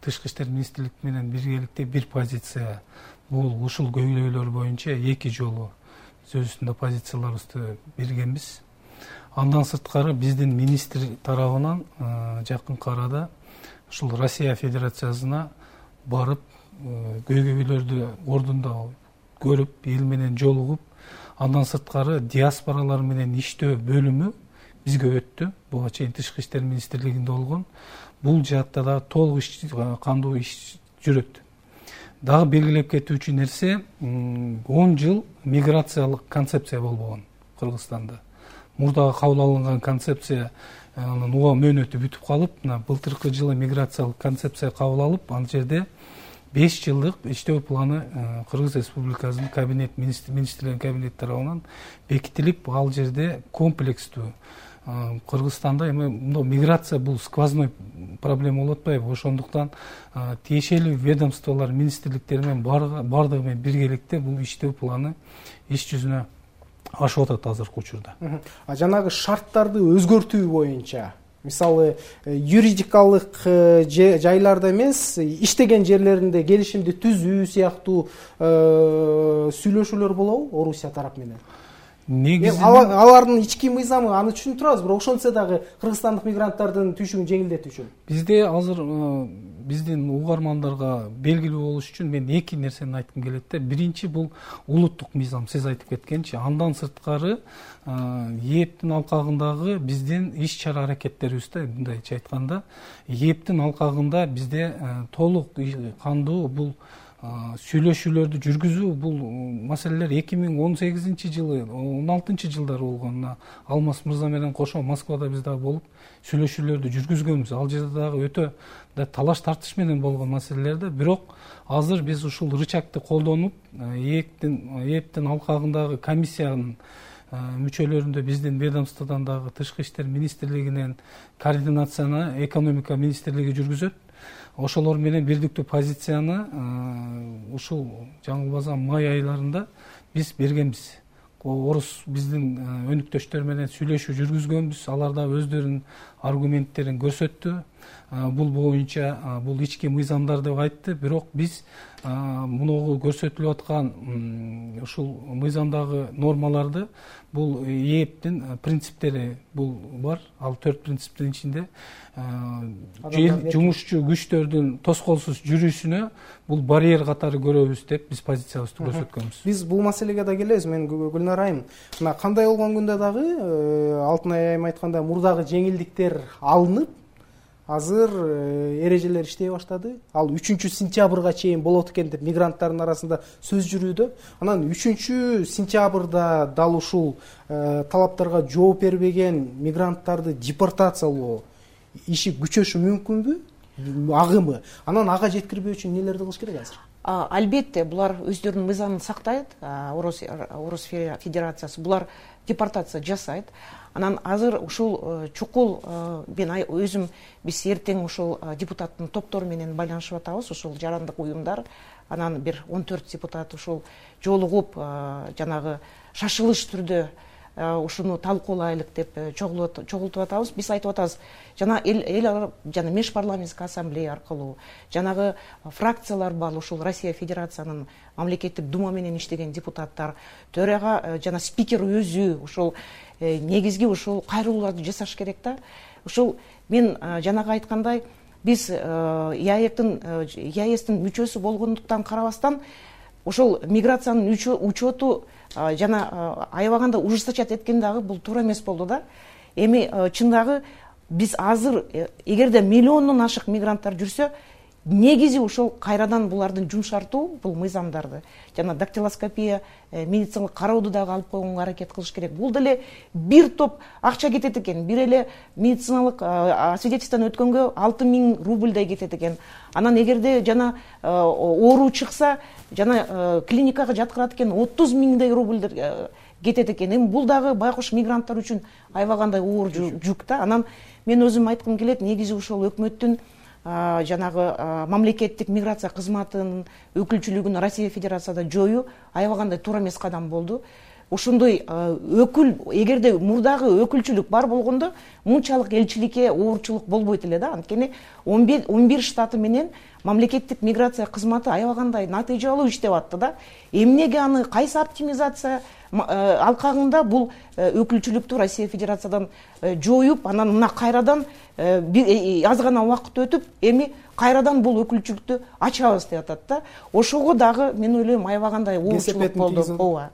S10: Тышкы иштер министрлик менен биргеликте бир позиция, бул ушул көйлөйлөр боюнча эки жолу сөз үстүндө позицияларыбызды бергенбиз. Андан сырткары биздин министр тарабынан жакынкы арада ушул Россия Федерациясына барып, көйгөйлөрдү ордунда көрүп, эл менен жолугуп, андан сырткары диаспоралар менен иштөө бөлүмү бизге өттү. Буга чейин тышкы иштер министрлигинде болгон. Бул жаатта да толук иш, кандуу иш жүрөт. Дагы белгилеп кетүүчү нерсе, он жыл миграциялык концепция болбогон Кыргызстанда. Мурдагы кабыл алынган концепция анын уга мөөнөтү бүтүп калып, мына былтыркы жылы миграциялык концепция кабыл алып, ал жерде беш жылдык иштөө планы Кыргыз Республикасынын кабинет министрлердин кабинети тарабынан бекитилип, ал жерде комплекстүү Кыргызстанда эми мындай миграция бул сквозной проблема болуп атпайбы? Ошондуктан тиешелүү ведомстволор, министрликтер менен бардыгы менен биргеликте бул иштөө планы иш жүзүнө ашып атат азыркы учурда.
S1: А жанагы шарттарды өзгөртүү боюнча, мисалы юридикалык жайларда эмес, иштеген жерлеринде келишимди түзүү сыяктуу сүйлөшүүлөр болобу Орусия тарап менен? Негизинен алардын ички мыйзамы аны түшүнүп турабыз, бирок ошентсе дагы кыргызстандык мигранттардын түшүгүн жеңилдетүү үчүн.
S10: Бизде азыр биздин угармандарга белгилүү болуш үчүн мен эки нерсени айткым келет да. Биринчи бул улуттук мыйзам, сиз айтып кеткенчи. Андан сырткары ээптин алкагындагы биздин иш чара аракеттерибизде, мындайча айтканда, ээптин алкагында бизде толук кандуу бул сүйлөшүүлөрдү жүргүзүү, бул маселелер эки миң он сегизинчи жылы, он алтынчы жылдары болгон. Алмаз мырза менен кошо Москвада биз дагы болуп сүйлөшүүлөрдү жүргүзгөнбүз. Ал жерде дагы өтө талаш тартыш менен болгон маселелерде, бирок азыр биз ушул рычагты колдонуп, ээптин алкагындагы комиссиянын мүчөлөрүндө биздин ведомстводон дагы тышкы иштер министрлигинен координацияны экономика министрлиги жүргүзөт. Ошолор менен бирдиктүү позицияны ушул жаңылбасам май айларында биз бергенбиз. Орус биздин өнүктөштөр менен сүйлөшүү жүргүзгөнбүз. Алар да өздөрүнүн аргументтерин көрсөттү. Бул боюнча бул ички мыйзамдар деп айтты, бирок биз мунугу көрсөтүлүп аткан ушул мыйзамдагы нормаларды, бул ээптин принциптери бул бар. Ал төрт принциптин ичинде жумушчу күчтөрдүн тоскоолсуз жүрүүсүнө бул барьер катары көрөбүз деп биз позициябызды көрсөткөнбүз.
S1: Биз бул маселеге да келебиз. Мен Гүлнар айым, мына кандай болгон күндө дагы Алтынай айым айткандай мурдагы жеңилдиктер алынып, азыр эрежелер иштей баштады. Ал үчүнчү сентябрга чейин болот экен деп мигранттардын арасында сөз жүрүүдө. Анан үчүнчү сентябрда дал ушул талаптарга жооп бербеген мигранттарды депортациялоо иши күчөшү мүмкүнбү? Агымы. Анан ага жеткирбөө үчүн нелерди кылыш керек азыр?
S6: Албетте, булар өздөрүнүн мыйзамын сактайт. Орус Федерациясы булар депортация жасайт. Анан азыр ушул чукул мен өзүм биз эртең ушул депутаттын топтору менен байланышып атабыз, ушул жарандык уюмдар. Анан бир он төрт депутат ушул жолугуп жанагы шашылыш түрдө ушуну талкуулайлык деп чогултуп атабыз. Биз айтып атабыз, жана эл жана межпарламенттик ассамблея аркылуу, жанагы фракциялар бар, ушул Россия Федерациянын мамлекеттик дума менен иштеген депутаттар, төрага жана спикер өзү ушул негизги ушул кайрылууларды жасаш керек да. Ушул мен жанагы айткандай, биз ЯЭКтин ЯЭСтин мүчөсү болгондуктан карабастан ошол миграциянын учету жана аябаганда ужесточать эткен дагы бул туура эмес болду да. Эми чындагы биз азыр эгерде миллиондон ашык мигранттар жүрсө, негизи ушул кайрадан булардын жумшартуу, бул мыйзамдарды жана дактилоскопия, медициналык карооду дагы алып койгонго аракет кылыш керек. Бул деле бир топ акча кетет экен. Бир эле медициналык освидетельстводон өткөнгө алты миң рубльдай кетет экен. Анан эгерде жана оору чыкса, жана клиникага жаткырат экен, отуз миңдей рубльдер кетет экен. Эми бул дагы байкуш мигранттар үчүн аябагандай оор жүк да. Анан мен өзүм айткым келет, негизи ушул өкмөттүн жанагы мамлекеттик миграция кызматынын өкүлчүлүгүн Россия Федерацияда жоюу аябагандай туура эмес кадам болду. Ошондой өкүл, эгерде мурдагы өкүлчүлүк бар болгондо, мынчалык элчиликке оорчулук болбойт эле да. Анткени он бир штаты менен мамлекеттик миграция кызматы аябагандай натыйжалуу иштеп атты да. Эмнеге аны кайсы оптимизация алкагында бул өкүлчүлүктү Россия Федерациядан жоюп, анан мына кайрадан аз гана убакыт өтүп, эми кайрадан бул өкүлчүлүктү ачабыз деп атат да. Ошого дагы мен ойлойм аябагандай уурчулук болду. Ооба.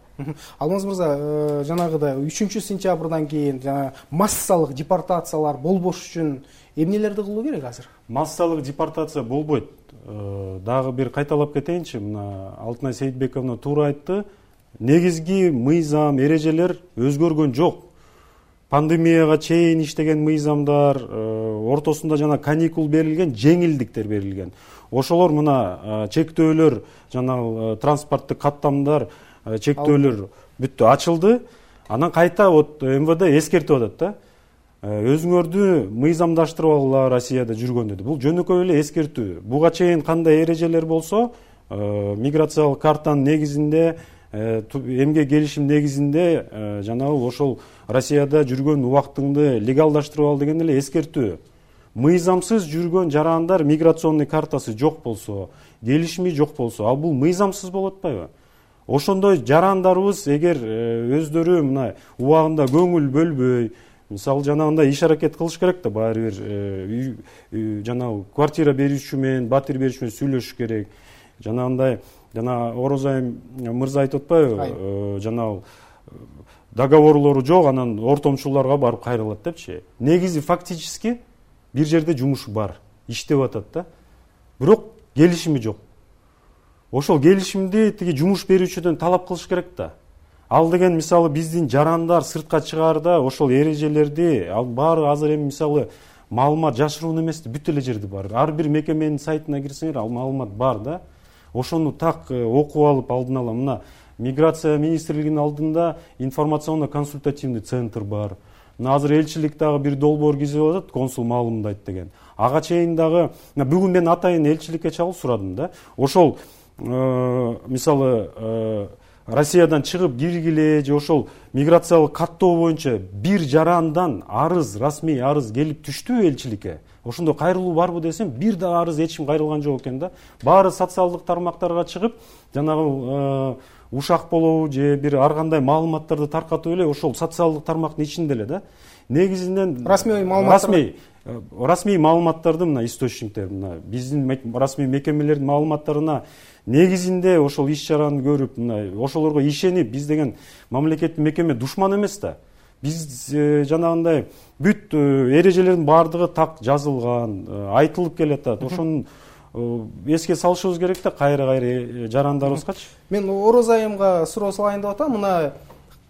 S1: Алмаз мырза, жанагыдай үчүнчү сентябрдан кийин жана массалык депортациялар болбош үчүн эмнелерди кылуу керек азыр?
S7: Массалык депортация болбойт. Дагы бир кайталап кетейинчи, мына Алтынай Сейитбековна туура айтты. Негизги мыйзам, эрежелер өзгөргөн жок. Пандемияга чейин иштеген мыйзамдар, ортосунда жана каникул берилген, жеңилдиктер берилген. Ошолор мына чектөөлөр, жана транспорттук каттамдар, чектөөлөр бүттү, ачылды. Анан кайта вот эм вэ дэ эскертип атат да. Өзүңөрдү мыйзамдаштырып алгыла Россияда жүргөн деди. Бул жөнөкөй эле эскертүү. Буга чейин кандай эрежелер болсо, миграциялык картанын негизинде, эмгек келишим негизинде жанагы ошол Россияда жүргөн убактыңды легалдаштырып ал деген эле эскертүү. Мыйзамсыз жүргөн жарандар миграционный картасы жок болсо, келишими жок болсо, ал бул мыйзамсыз болуп атпайбы? Ошондой жарандарыбыз эгер өздөрү мына убагында көңүл бөлбөй, мисалы жанагындай иш аракет кылыш керек да, баары бир жанагы квартира берүүчү менен, батир берүүчү менен сүйлөшүш керек. Жанагындай жана Орозай мырза айтып атпайбы, жанагы договорлору жок, анан ортомчуларга барып кайрылат депчи. Негизи фактически бир жерде жумуш бар, иштеп атат да. Бирок келишими жок. Ошол келишимди тиги жумуш берүүчүдөн талап кылыш керек да. Ал деген мисалы биздин жарандар сыртка чыгаарда ошол эрежелерди, ал баары азыр эми мисалы маалымат жашыруун эмес, бүт эле жерде бар. Ар бир мекеменин сайтына кирсеңер, ал маалымат бар да. Ошону так окуп алып алдын ала мына миграция министрлигинин алдында информационно-консультативный центр бар. Мына азыр элчилик дагы бир долбоор кизип атат, консул маалымдайт деген. Ага чейин дагы бүгүн мен атайын элчиликке чалып сурадым да. Ошол мисалы Россиядан чыгып киргиле же ошол миграциялык каттоо боюнча бир жарандан арыз, расмий арыз келип түштү элчиликке. Ошондо кайрылуу барбы десем, бир да арыз эч ким кайрылган жок экен да. Баары социалдык тармактарга чыгып, жанагы ушак болобу же бир ар кандай маалыматтарды таркатып эле ошол социалдык тармактын ичинде эле да. Негизинен
S1: расмий маалыматтар
S7: расмий расмий маалыматтарды мына источниктер, мына биздин расмий мекемелердин маалыматтарына негизинде ошол иш чараны көрүп, мына ошолорго ишенип, биз деген мамлекеттик мекеме душман эмес да. Биз жанагындай бүт эрежелердин баардыгы так жазылган, айтылып келатат. Ошону эске салышыбыз керек да, кайра-кайра жарандарыбызгачы.
S1: Мен Орозайымга суроо салайын деп атам. Мына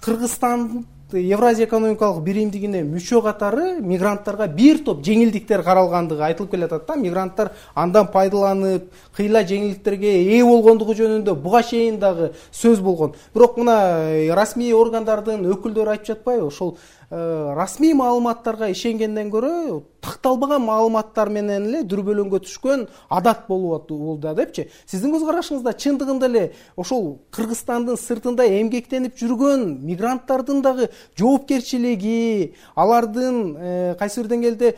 S1: Кыргызстан Евразия экономикалык биримдигине мүчө катары мигранттарга бир топ жеңилдиктер каралгандыгы айтылып келатат да. Мигранттар андан пайдаланып, кыйла жеңилдиктерге ээ болгондугу жөнүндө буга чейин дагы сөз болгон. Бирок мына расмий органдардын өкүлдөрү айтып жатпайбы? Ошол расмий маалыматтарга ишенгенден көрө такталбаган маалыматтар менен эле дүрбөлөңгө түшкөн адат болуп болду депчи. Сиздин көз карашыңызда чындыгында эле ошол Кыргызстандын сыртында эмгектенип жүргөн мигранттардын дагы жоопкерчилиги, алардын кайсы бир деңгээлде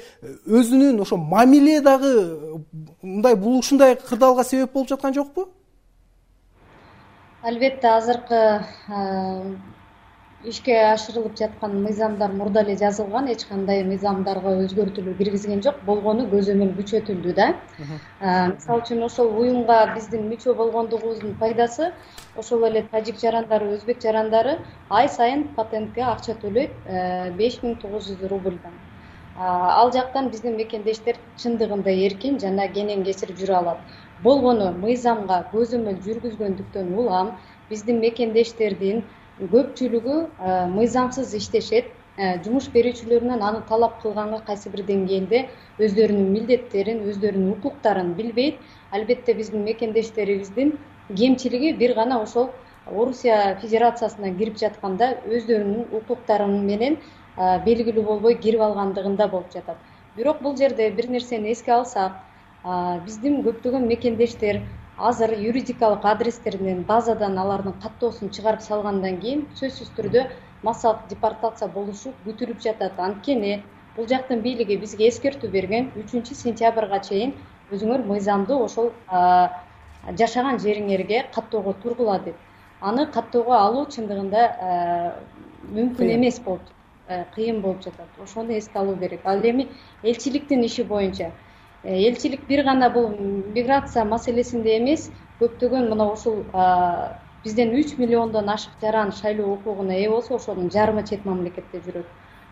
S1: өзүнүн ошо мамиле дагы мындай бул ушундай кырдаалга себеп болуп жаткан жокпу?
S9: Албетте азыркы ишке ашырылып жаткан мыйзамдар мурда эле жазылган, эч кандай мыйзамдарга өзгөртүүлөр киргизген жок, болгону көзөмөл күчөтүлдү да. Мисалы үчүн ошол уюмга биздин мүчө болгондугубуздун пайдасы, ошол эле тажик жарандары, өзбек жарандары ай сайын патентке акча төлөйт, беш миң тогуз жүз рубльдан. Ал жактан биздин мекендештер чындыгында эркин жана кенен кечирип жүрө алат. Болгону мыйзамга көзөмөл жүргүзгөндүктөн улам биздин мекендештердин көпчүлүгү мыйзамсыз иштешет, жумуш берүүчүлөрүнөн аны талап кылганга кайсы бир деңгээлде өздөрүнүн милдеттерин, өздөрүнүн укуктарын билбейт. Албетте биздин мекендештерибиздин кемчилиги бир гана ошол Орусия Федерациясына кирип жатканда өздөрүнүн укуктары менен белгилүү болбой кирип алгандыгында болуп жатат. Бирок бул жерде бир нерсени эске алсак, биздин көптөгөн мекендештер азыр юридикалык адрестеринен базадан алардын каттоосун чыгарып салгандан кийин сөзсүз түрдө массалык депортация болушу күтүлүп жатат. Анткени бул жактын бийлиги бизге эскертүү берген, үчүнчү сентябрга чейин өзүңөр мыйзамды ошол жашаган жериңерге каттоого тургула деп. аны каттоого алуу чындыгында мүмкүн эмес болуп кыйын болуп жатат. Ошону эске алуу керек. Ал эми элчиликтин иши боюнча элчилик бир гана бул миграция маселесинде эмес, көптөгөн мына ушул бизден үч миллиондон ашык жаран шайлоо укугуна ээ болсо, ошонун жарымы чет мамлекетте жүрөт.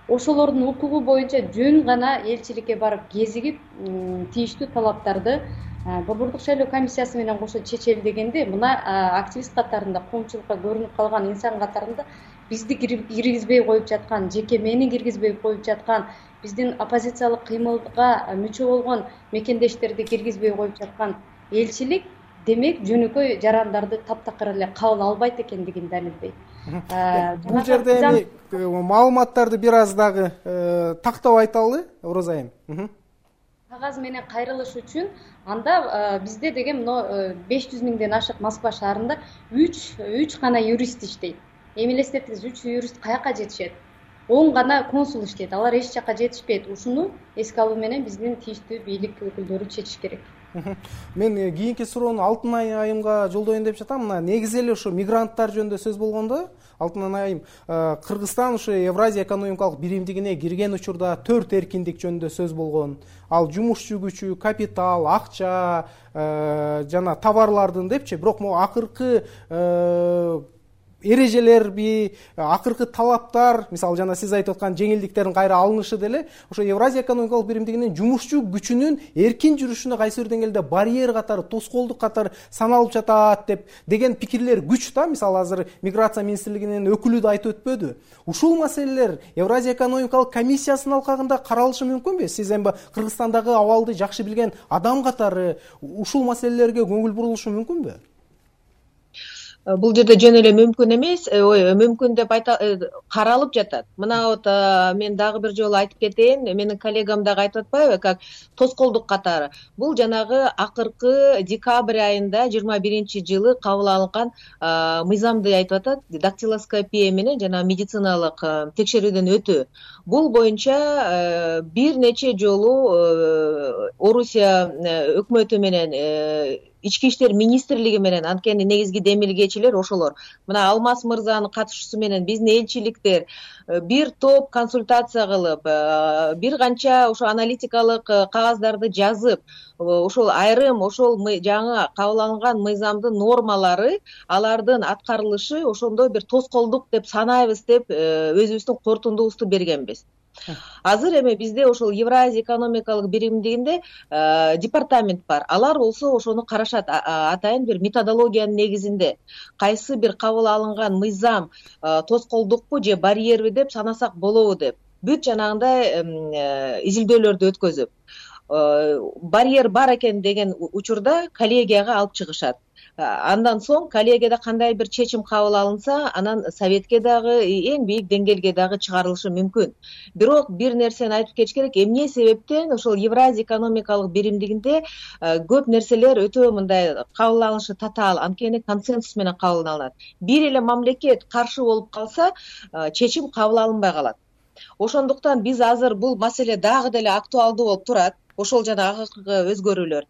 S9: Ошолордун укугу боюнча жөн гана элчиликке барып кезигип, тийиштүү талаптарды Борбордук шайлоо комиссиясы менен кошо чечели дегенде, мына активист катарында, коомчулукка көрүнүп калган инсан катарында бизди киргизбей коюп жаткан, жеке мени киргизбей коюп жаткан, биздин оппозициялык кыймылга мүчө болгон мекендештерди киргизбей коюп жаткан элчилик, демек жөнөкөй жарандарды таптакыр эле кабыл албайт экендигин далилдейт.
S1: Бул жерде эми маалыматтарды бир аз дагы тактап айталы, Ороза айым.
S9: Кагаз менен кайрылыш үчүн анда бизде деген мына беш жүз миңден ашык Москва шаарында үч үч гана юрист иштейт. Эми элестетиңиз, үч юрист каяка жетишет? он гана консул иштейт. Алар эч жака жетишпейт. Ушуну эске алуу менен биздин тийиштүү бийлик өкүлдөрү чечиш керек.
S1: Мен кийинки суроону Алтынай айымга жолдоюн деп жатам. Мына негизи эле ушу мигранттар жөнүндө сөз болгондо, Алтынай айым, Кыргызстан ушу Евразия экономикалык биримдигине кирген учурда төрт эркиндик жөнүндө сөз болгон. Ал жумушчу күчү, капитал, акча жана товарлардын депчи, бирок могу акыркы эрежелерби, акыркы талаптар, мисалы жана сиз айтып аткан жеңилдиктердин кайра алынышы деле ошо Евразия экономикалык биримдигинин жумушчу күчүнүн эркин жүрүшүнө кайсы бир деңгээлде барьер катары, тоскоолдук катары саналып жатат деп деген пикирлер күч да. Мисалы азыр миграция министрлигинин өкүлү да айтып өтпөдү. Ушул маселелер Евразия экономикалык комиссиясынын алкагында каралышы мүмкүнбү? Сиз эми Кыргызстандагы абалды жакшы билген адам катары ушул маселелерге көңүл бурулушу мүмкүнбү?
S8: Бул жерде жөн эле мүмкүн эмес, ой, мүмкүн деп айта каралып жатат. Мына вот мен дагы бир жолу айтып кетейин, менин коллегам дагы айтып атпайбы, как тоскоолдук катары. Бул жанагы акыркы декабрь айында жыйырма биринчи жылы кабыл алынган мыйзамды айтып атат, дактилоскопия менен жана медициналык текшерүүдөн өтүү. Бул боюнча бир нече жолу Орусия өкмөтү менен Ички иштер министрлиги менен анткени негизги демилгечилер ошолор. Мына Алмаз мырзанын катышуусу менен биздин элчиликтер бир топ консультация кылып, бир канча ошо аналитикалык кагаздарды жазып, ошол айрым ошол жаңы кабыл алынган мыйзамдын нормалары, алардын аткарылышы ошондо бир тоскоолдук деп санайбыз деп өзүбүздүн корутундубузду бергенбиз. Азыр эми бизде ошол Евразия экономикалык биримдигинде департамент бар. Алар болсо ошону карашат, атайын бир методологиянын негизинде. Кайсы бир кабыл алынган мыйзам тоскоолдукпу же барьерби деп санасак болобу деп. Бүт жанагындай изилдөөлөрдү өткөзүп, барьер бар экен деген учурда коллегияга алып чыгышат. Андан соң коллегияда кандай бир чечим кабыл алынса, анан советке дагы, эң бийик деңгээлге дагы чыгарылышы мүмкүн. Бирок бир нерсени айтып кетиш керек, эмне себептен ошол Евразия экономикалык биримдигинде көп нерселер өтө мындай кабыл алынышы татаал, анткени консенсус менен кабыл алынат. Бир эле мамлекет каршы болуп калса, чечим кабыл алынбай калат. Ошондуктан биз азыр бул маселе дагы деле актуалдуу болуп турат. Ошол жана акыркы өзгөрүүлөр.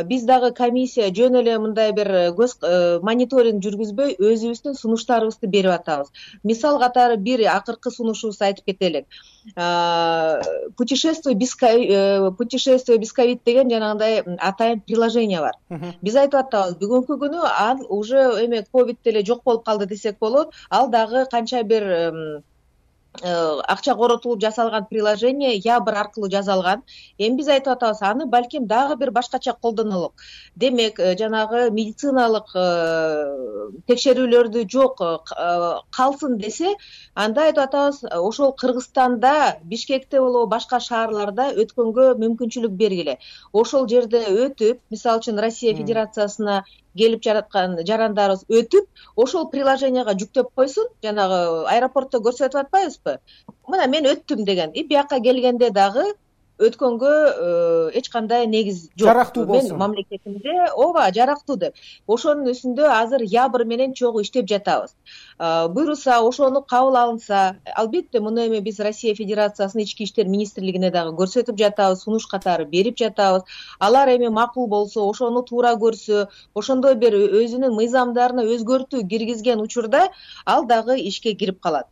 S8: Биз дагы комиссия жөн эле мындай бир көз мониторинг жүргүзбөй, өзүбүздүн сунуштарыбызды берип атабыз. Мисал катары бир акыркы сунушубузду айтып кетелик. Путешествие без путешествие без ковид деген жанагындай атайын приложение бар. Биз айтып атабыз, бүгүнкү күнү ал уже эме ковид деле жок болуп калды десек болот. Ал дагы канча бир акча коротулуп жасалган приложение Ябр аркылуу жасалган. Эми биз айтып атабыз, аны балким дагы бир башкача колдонолук. Демек, жанагы медициналык текшерүүлөрдү жок калсын десе, анда айтып атабыз, ошол Кыргызстанда, Бишкекте болобу, башка шаарларда өткөнгө мүмкүнчүлүк бергиле. Ошол жерде өтүп, мисалы үчүн Россия Федерациясына келип жараткан жарандарыбыз өтүп, ошол приложенияга жүктөп койсун, жанагы аэропортто көрсөтүп атпайбызбы? Мына мен өттүм деген. И бияка келгенде дагы өткөнгө эч кандай негиз жок.
S1: Жарактуу болсун.
S8: Мен мамлекетимде ооба жарактуу деп. Ошонун үстүндө азыр ябыр менен чогуу иштеп жатабыз. Буйруса, ошону кабыл алынса, албетте муну эми биз Россия Федерациясынын ички иштер министрлигине дагы көрсөтүп жатабыз, сунуш катары берип жатабыз. Алар эми макул болсо, ошону туура көрсө, ошондой бир өзүнүн мыйзамдарына өзгөртүү киргизген учурда ал дагы ишке кирип калат.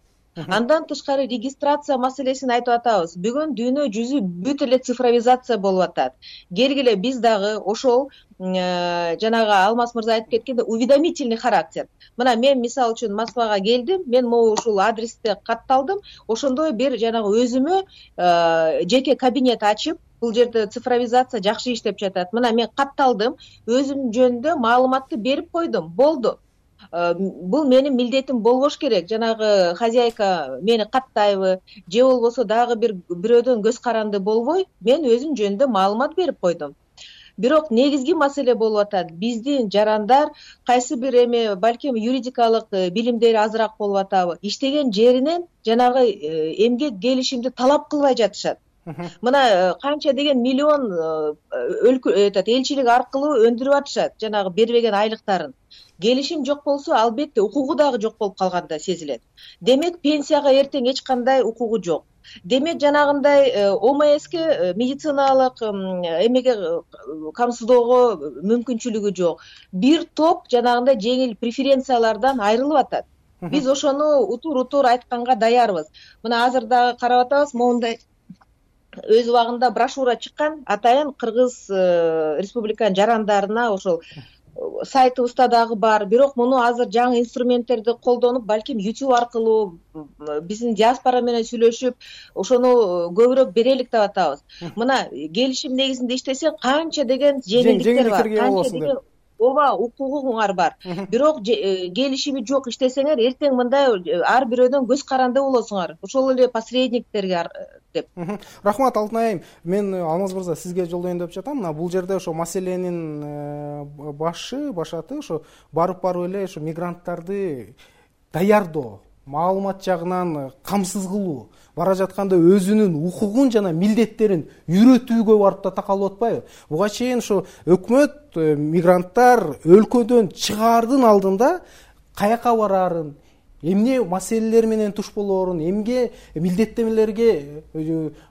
S8: Андан тышкары регистрация маселесин айтып атабыз. Бүгүн дүйнө жүзү бүт эле цифровизация болуп атат. Келгиле биз дагы ошол жанагы Алмаз мырза айтып кеткендей уведомительный характер. Мына мен мисалы үчүн Москвага келдим, мен могу ушул адресте катталдым, ошондой бир жанагы өзүмө жеке кабинет ачып, бул жерде цифровизация жакшы иштеп жатат. Мына мен катталдым, өзүм жөнүндө маалыматты берип койдум, болду. Бул менин милдетим болбош керек. Жанагы хозяйка мени каттайбы, же болбосо дагы бир бирөөдөн көз каранды болбой, мен өзүм жөнүндө маалымат берип койдум. Бирок негизги маселе болуп атат. Биздин жарандар кайсы бир эми балким юридикалык билимдери азыраак болуп атабы, иштеген жеринен жанагы эмгек келишимди талап кылбай жатышат. Мына канча деген миллион өлкө элчилик аркылуу өндүрүп атышат жанагы бербеген айлыктарын. Келишим жок болсо, албетте укугу дагы жок болуп калганда сезилет. Демек пенсияга эртең эч кандай укугу жок. Демек жанагындай ОМСке медициналык эмеге камсыздоого мүмкүнчүлүгү жок. Бир топ жанагындай жеңил преференциялардан айрылып атат. Биз ошону утур-утур айтканга даярбыз. Мына азыр дагы карап атабыз, моундай өз убагында брошюра чыккан, атайын Кыргыз Республиканын жарандарына ошол сайтыбызда дагы бар. Бирок муну азыр жаңы инструменттерди колдонуп, балким YouTube аркылуу биздин диаспора менен сүйлөшүп, ошону көбүрөөк берелик деп атабыз. Мына келишим негизинде иштесең, канча деген жеңилдиктер бар, канча деген ооба укугуңар бар. Бирок келишими жок иштесеңер, эртең мындай ар бирөөдөн көз каранды болосуңар. Ошол эле посредниктерге деп.
S1: Рахмат Алтын айым. Мен Алмаз мырза сизге жолдоюн деп жатам. Мына бул жерде ошо маселенин башы, башаты ошо барып-барып эле ошо мигранттарды даярдоо, маалымат жагынан камсыз кылуу, бара жатканда өзүнүн укугун жана милдеттерин үйрөтүүгө барып да такалып атпайбы? Буга чейин ошо өкмөт мигранттар өлкөдөн чыгаардын алдында каяка бараарын, эмне маселелер менен туш болоорун, эмге милдеттемелерге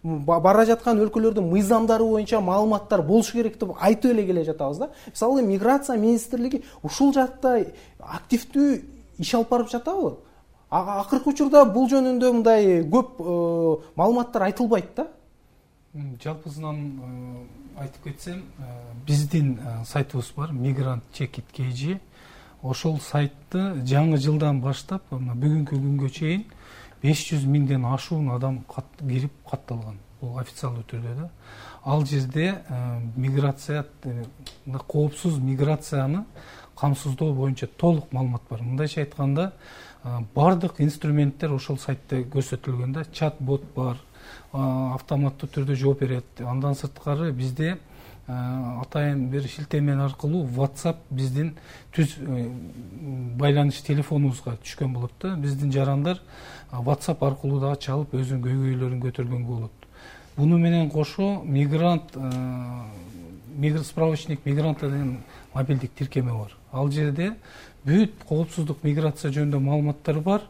S1: бара жаткан өлкөлөрдүн мыйзамдары боюнча маалыматтар болуш керек деп айтып эле келе жатабыз да. Мисалы миграция министрлиги ушул жакта активдүү иш алып барып жатабы? Акыркы учурда бул жөнүндө мындай көп маалыматтар айтылбайт да.
S10: Жалпысынан айтып кетсем, биздин сайтыбыз бар, Migrant Check It кей джи. Ошол сайтты жаңы жылдан баштап бүгүнкү күнгө чейин беш жүз миңден ашуун адам кирип катталган. Бул официалдуу түрдө да. Ал жерде миграция, коопсуз миграцияны камсыздоо боюнча толук маалымат бар. Мындайча айтканда, бардык инструменттер ошол сайтта көрсөтүлгөн да. Чат-бот бар, автоматтуу түрдө жооп берет. Андан сырткары бизде атайын бир шилтеме аркылуу WhatsApp биздин түз байланыш телефонубузга түшкөн болот да. Биздин жарандар WhatsApp аркылуу дагы чалып өзүнүн көйгөйлөрүн көтөргөнгө болот. Буну менен кошо мигрант справочник мигранта деген мобилдик тиркеме бар. Ал жерде бүт коопсуздук миграция жөнүндө маалыматтар бар.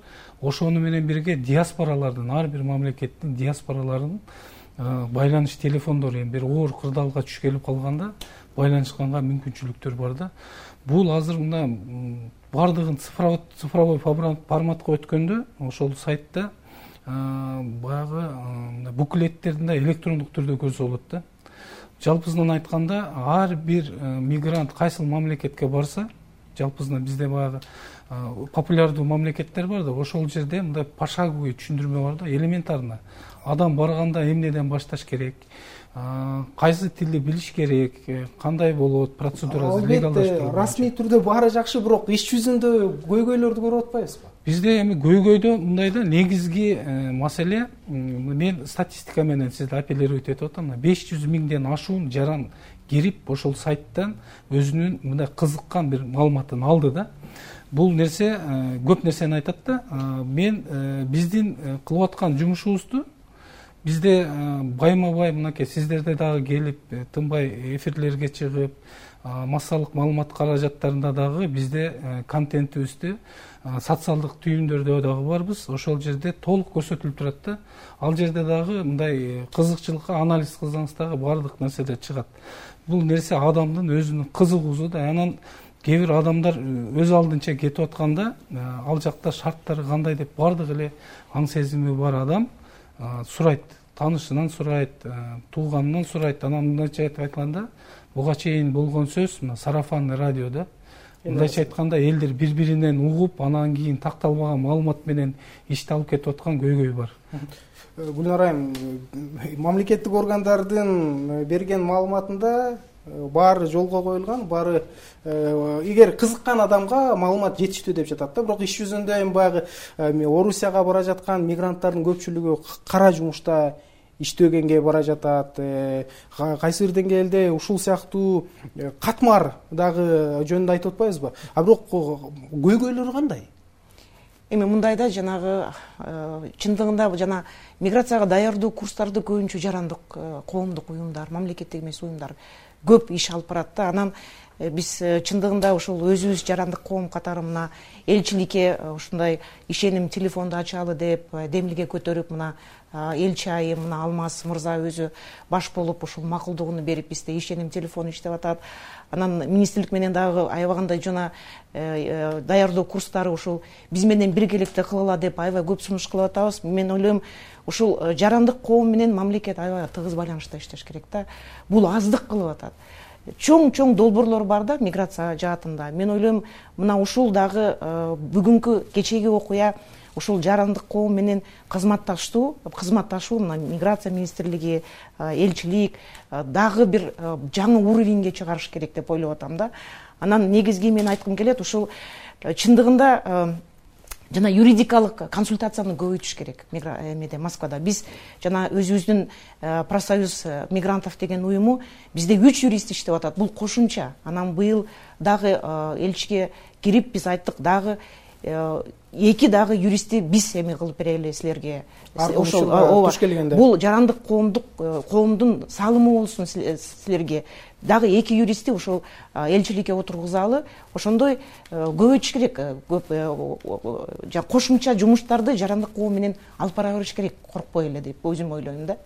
S10: Ошону менен бирге диаспоралардын, ар бир мамлекеттин диаспораларынын байланыш телефондору эми бир оор кырдаалга түшкелип калганда байланышканга мүмкүнчүлүктөр бар да. Бул азыр мына бардыгын цифровой форматка өткөндө ошол сайтта баягы буклеттерин электрондук түрдө көрсө болот да. Жалпысынан айтканда, ар бир мигрант кайсыл мамлекетке барса, жалпысынан бизде баягы популярдуу мамлекеттер бар да, ошол жерде мындай пошаговый түшүндүрмө бар да, элементарно. Адам барганда эмнеден башташ керек, кайсы тилди билиш керек, кандай болот, процедурасы, легалдаштыруу.
S1: Расмий түрдө баары жакшы, бирок иш жүзүндө көйгөйлөрдү көрүп атпайбызбы?
S10: Бизде эми көйгөйдө мындай да, негизги маселе, мен статистика менен сизди апеллировать этип атам, беш жүз миңден ашуун жаран кирип ошол сайттан өзүнүн мындай кызыккан бир маалыматын алды да. Бул нерсе көп нерсени айтат да. Мен биздин кылып аткан жумушубузду бизде байма бай мынакей сиздерде дагы келип тынбай эфирлерге чыгып массалык маалымат каражаттарында дагы бизде контентибизди социалдык түйүндөрдө дагы барбыз. Ошол жерде толук көрсөтүлүп турат да. Ал жерде дагы мындай кызыкчылыкка анализ кылсаңыз дагы баардык нерселер чыгат. Бул нерсе адамдын өзүнүн кызыгуусу да. Анан кээ бир адамдар өз алдынча кетип атканда ал жакта шарттары кандай деп баардык эле аң сезими бар адам сурайт, таанышынан сурайт, тууганынан сурайт. Анан мындайча айтып айтканда, буга чейин болгон сөз мына сарафанный радиода. Мындайча айтканда элдер бири-биринен угуп, анан кийин такталбаган маалымат менен ишти алып кетип аткан көйгөй бар.
S1: Гүлнар айым, мамлекеттик органдардын берген маалыматында баары жолго коюлган, баары эгер кызыккан адамга маалымат жетиштүү деп жатат да. Бирок иш жүзүндө эми баягы Орусияга бара жаткан мигранттардын көпчүлүгү кара жумушта иштөгенге бара жатат. Кайсы бир деңгээлде ушул сыяктуу катмар дагы жөнүндө айтып атпайбызбы? А бирок көйгөйлөрү кандай?
S6: Эми мындайда жанагы чындыгында жана миграцияга даярдоо курстарды көбүнчө жарандык коомдук уюмдар, мамлекеттик эмес уюмдар көп иш алып барат да. Анан биз чындыгында ушул өзүбүз жарандык коом катары мына элчиликке ушундай ишеним телефонду ачалы деп демилге көтөрүп, мына элчи айым мына Алмаз мырза өзү баш болуп ушул макулдугун берип бизде ишеним телефону иштеп атат. Анан министрлик менен дагы аябагандай жана даярдоо курстары ушул биз менен биргеликте кылгыла деп аябай көп сунуш кылып атабыз. Мен ойлойм, ушул жарандык коом менен мамлекет аябай тыгыз байланышта иштеш керек да. Бул аздык кылып атат. Чоң-чоң долбоорлор бар да миграция жаатында. Мен ойлойм, мына ушул дагы бүгүнкү кечеги окуя ушул жарандык коом менен кызматташтуу, кызматташуу мына миграция министрлиги, элчилик дагы бир жаңы уровеньге чыгарыш керек деп ойлоп атам да. Анан негизги мен айткым келет, ушул чындыгында жана юридикалык консультацияны көбөйтүш керек эмеде Москвада. Биз жана өзүбүздүн профсоюз мигрантов деген уюму бизде үч юрист иштеп атат. Бул кошумча. Анан быйыл дагы элчиге кирип биз айттык, дагы эки дагы юристти биз эме кылып берели силерге.
S1: Ошол туш келгенде.
S6: Бул жарандык коомдук коомдун салымы болсун силерге. Дагы эки юристти ошол элчиликке отургузалы. Ошондой көбөйтүш керек. Көп кошумча жумуштарды жарандык коом менен алып бара бериш керек, коркпой эле деп өзүм ойлойм да.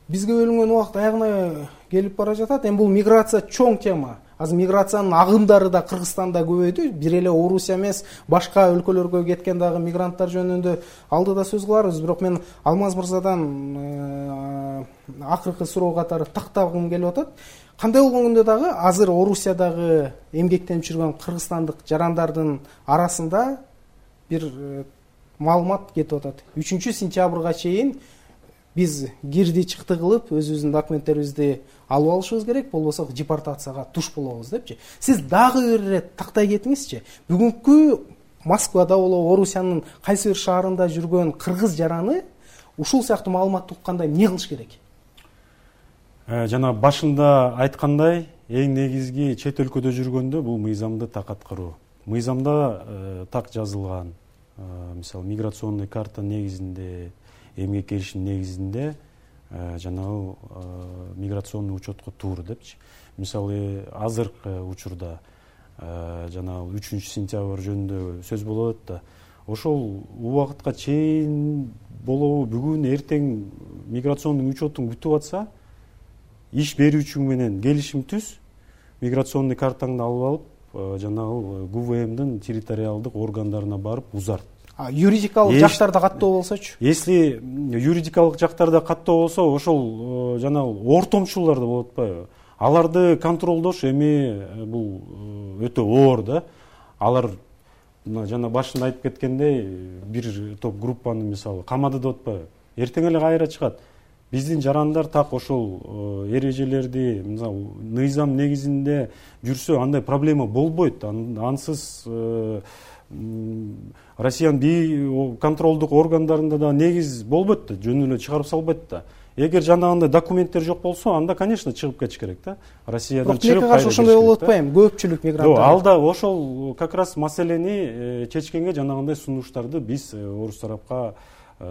S1: Бизге бөлүнгөн убакыт аягына келип бара жатат. Эми бул миграция чоң тема. Азыр миграциянын агымдары да Кыргызстанда көбөйдү. Бир эле Орусия эмес, башка өлкөлөргө кеткен дагы мигранттар жөнүндө алдыда сөз кыларбыз. Бирок мен Алмаз мырзадан акыркы суроо катары тактагым келип атат. Кандай болгондо дагы азыр Орусиядагы эмгектенип жүргөн кыргызстандык жарандардын арасында бир маалымат кетип атат. үчүнчү сентябрга чейин биз кирди чыкты кылып өзүбүздүн документтерибизди алып алышыбыз керек, болбосо депортацияга туш болобуз депчи. Сиз дагы бир ирет тактай кетиңизчи. Бүгүнкү Москвада болобу, Орусиянын кайсы бир шаарында жүргөн кыргыз жараны ушул сыяктуу маалыматты укканда эмне кылыш керек?
S7: Жана башында айткандай, эң негизги чет өлкөдө жүргөндө бул мыйзамды так аткаруу. Мыйзамда так жазылган, мисалы миграционный карта негизинде, эмгек келишим негизинде жанагы миграционный учетко туур депчи. Мисалы азыркы учурда жанагы үчүнчү сентябрь жөнүндө сөз болот да. Ошол убакытка чейин болобу, бүгүн эртең миграционный учетун күтүп атса, иш берүүчү менен келишим түз, миграционный картаңды алып алып, жанагы ГУВМдын территориалдык органдарына барып узарт.
S1: Юридикалык жактарда каттоо болсочу?
S7: Если юридикалык жактарда каттоо болсо, ошол жанагы ортомчулар да болот атпайбы? Аларды контролдош эми бул өтө оор да. Алар жана башында айтып кеткендей, бир топ группаны мисалы камады деп атпайбы? Эртең эле кайра чыгат. Биздин жарандар так ошол эрежелерди, мисалы мыйзам негизинде жүрсө, андай проблема болбойт. Ансыз Россиянын контролдук органдарында да негиз болбойт да, жөн эле чыгарып салбайт да. Эгер жанагындай документтер жок болсо, анда, конечно, чыгып кетиш керек да. Россиядан чыгып кайра кетиш керек.
S1: Ошондой болуп атпайбы? Көпчүлүк мигранттар.
S7: Алда ошол как раз маселени чечкенге жанагындай сунуштарды биз орус тарапка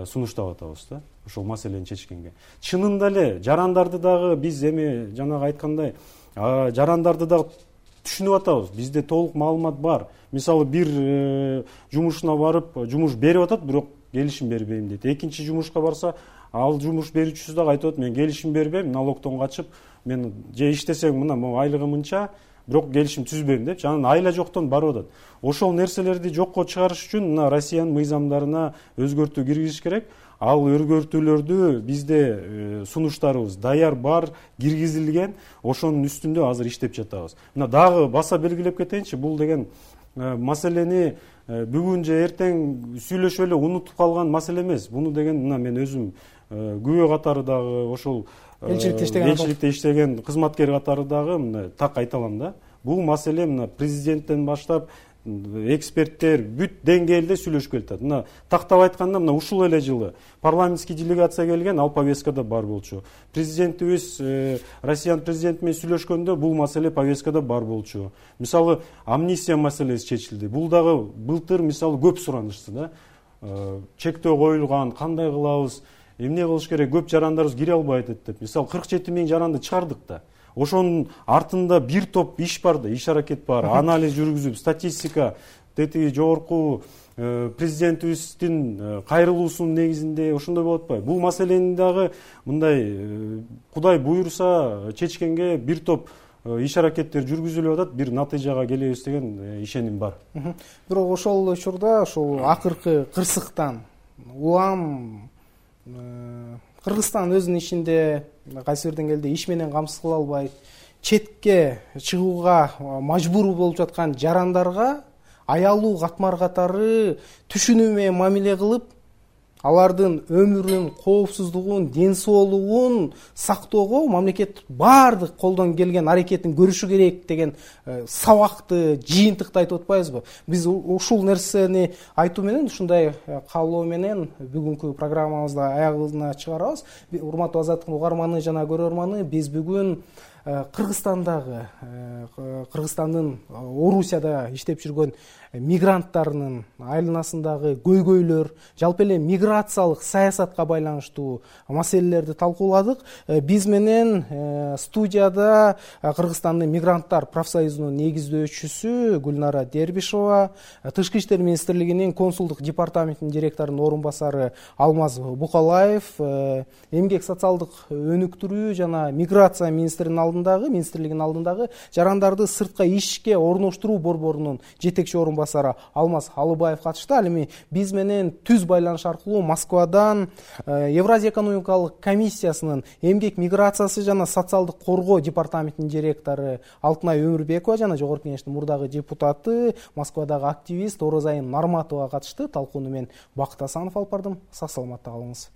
S7: сунуштап атабыз да ошол маселени чечкенге. Чынында эле жарандарды дагы биз эми жанагы айткандай жарандарды дагы түшүнүп атабыз. Бизде толук маалымат бар. Мисалы бир жумушуна барып жумуш берип атат, бирок келишим бербейм дейт. Экинчи жумушка барса, ал жумуш берүүчүсү дагы айтып атат, мен келишим бербейм, налогдон качып, мен же иштесең мына могу айлыгым мынча, бирок келишим түзбөйм деп, анан айла жоктон барып атат. Ошол нерселерди жокко чыгарыш үчүн мына Россиянын мыйзамдарына өзгөртүү киргизиш керек. Ал өзгөртүүлөрдү бизде сунуштарыбыз даяр бар, киргизилген, ошонун үстүндө азыр иштеп жатабыз. Мына дагы баса белгилеп кетейинчи, бул деген маселени бүгүн же эртең сүйлөшүп эле унутуп калган маселе эмес. Буну деген мына мен өзүм күбө катары дагы ошол элчиликте иштеген элчиликте иштеген кызматкер катары дагы мына так айта алам да. Бул маселе мына президенттен баштап эксперттер бүт деңгээлде сүйлөшүп келатат. Мына тактап айтканда, мына ушул эле жылы парламентский делегация келген, ал повесткада бар болчу. Президентибиз Россиянын президенти менен сүйлөшкөндө бул маселе повесткада бар болчу. Мисалы амнистия маселеси чечилди. Бул дагы былтыр мисалы көп суранышты да. Чектөө коюлган, кандай кылабыз, эмне кылыш керек, көп жарандарыбыз кире албайт деп. Мисалы кырк жети миң жаранды чыгардык да. Ошонун артында бир топ иш бар да, иш аракет бар, анализ жүргүзүп, статистика, тетиги жогорку президентибиздин кайрылуусунун негизинде ошондой болуп атпайбы? Бул маселени дагы мындай Кудай буйруса чечкенге бир топ иш аракеттер жүргүзүлүп атат, бир натыйжага келебиз деген ишеним бар.
S1: Бирок ошол учурда ошол акыркы кырсыктан улам Кыргызстан өзүнүн ичинде кайсы бир деңгээлде иш менен камсыз кыла албай, четке чыгууга мажбур болуп жаткан жарандарга аялуу катмар катары түшүнүү менен мамиле кылып, алардын өмүрүн, коопсуздугун, ден соолугун сактоого мамлекет баардык колдон келген аракетин көрүшү керек деген сабакты, жыйынтыкты айтып атпайбызбы? Биз ушул нерсени айтуу менен, ушундай каалоо менен бүгүнкү программабызды аягына чыгарабыз. Урматтуу Азаттыктын угарманы жана көрөрманы, биз бүгүн Кыргызстандагы, Кыргызстандын Орусияда иштеп жүргөн мигранттарынын айланасындагы көйгөйлөр, жалпы эле миграциялык саясатка байланыштуу маселелерди талкууладык. Биз менен студияда Кыргызстандын мигранттар профсоюзунун негиздөөчүсү Гүлнара Дербишова, Тышкы иштер министрлигинин консулдук департаментинин директорунун орун басары Алмаз Букалаев, эмгек социалдык өнүктүрүү жана миграция министринин алдындагы, министрлигинин алдындагы жарандарды сыртка ишке орноштуруу борборунун жетекчи орун басары Алмаз Алыбаев катышты. Ал эми биз менен түз байланыш аркылуу Москвадан Евразия экономикалык комиссиясынын эмгек миграциясы жана социалдык коргоо департаментинин директору Алтынай Өмүрбекова жана Жогорку Кеңештин мурдагы депутаты, Москвадагы активист Орозайым Нарматова катышты. Талкууну мен Бакыт Асанов алып бардым. Сак саламатта калыңыз.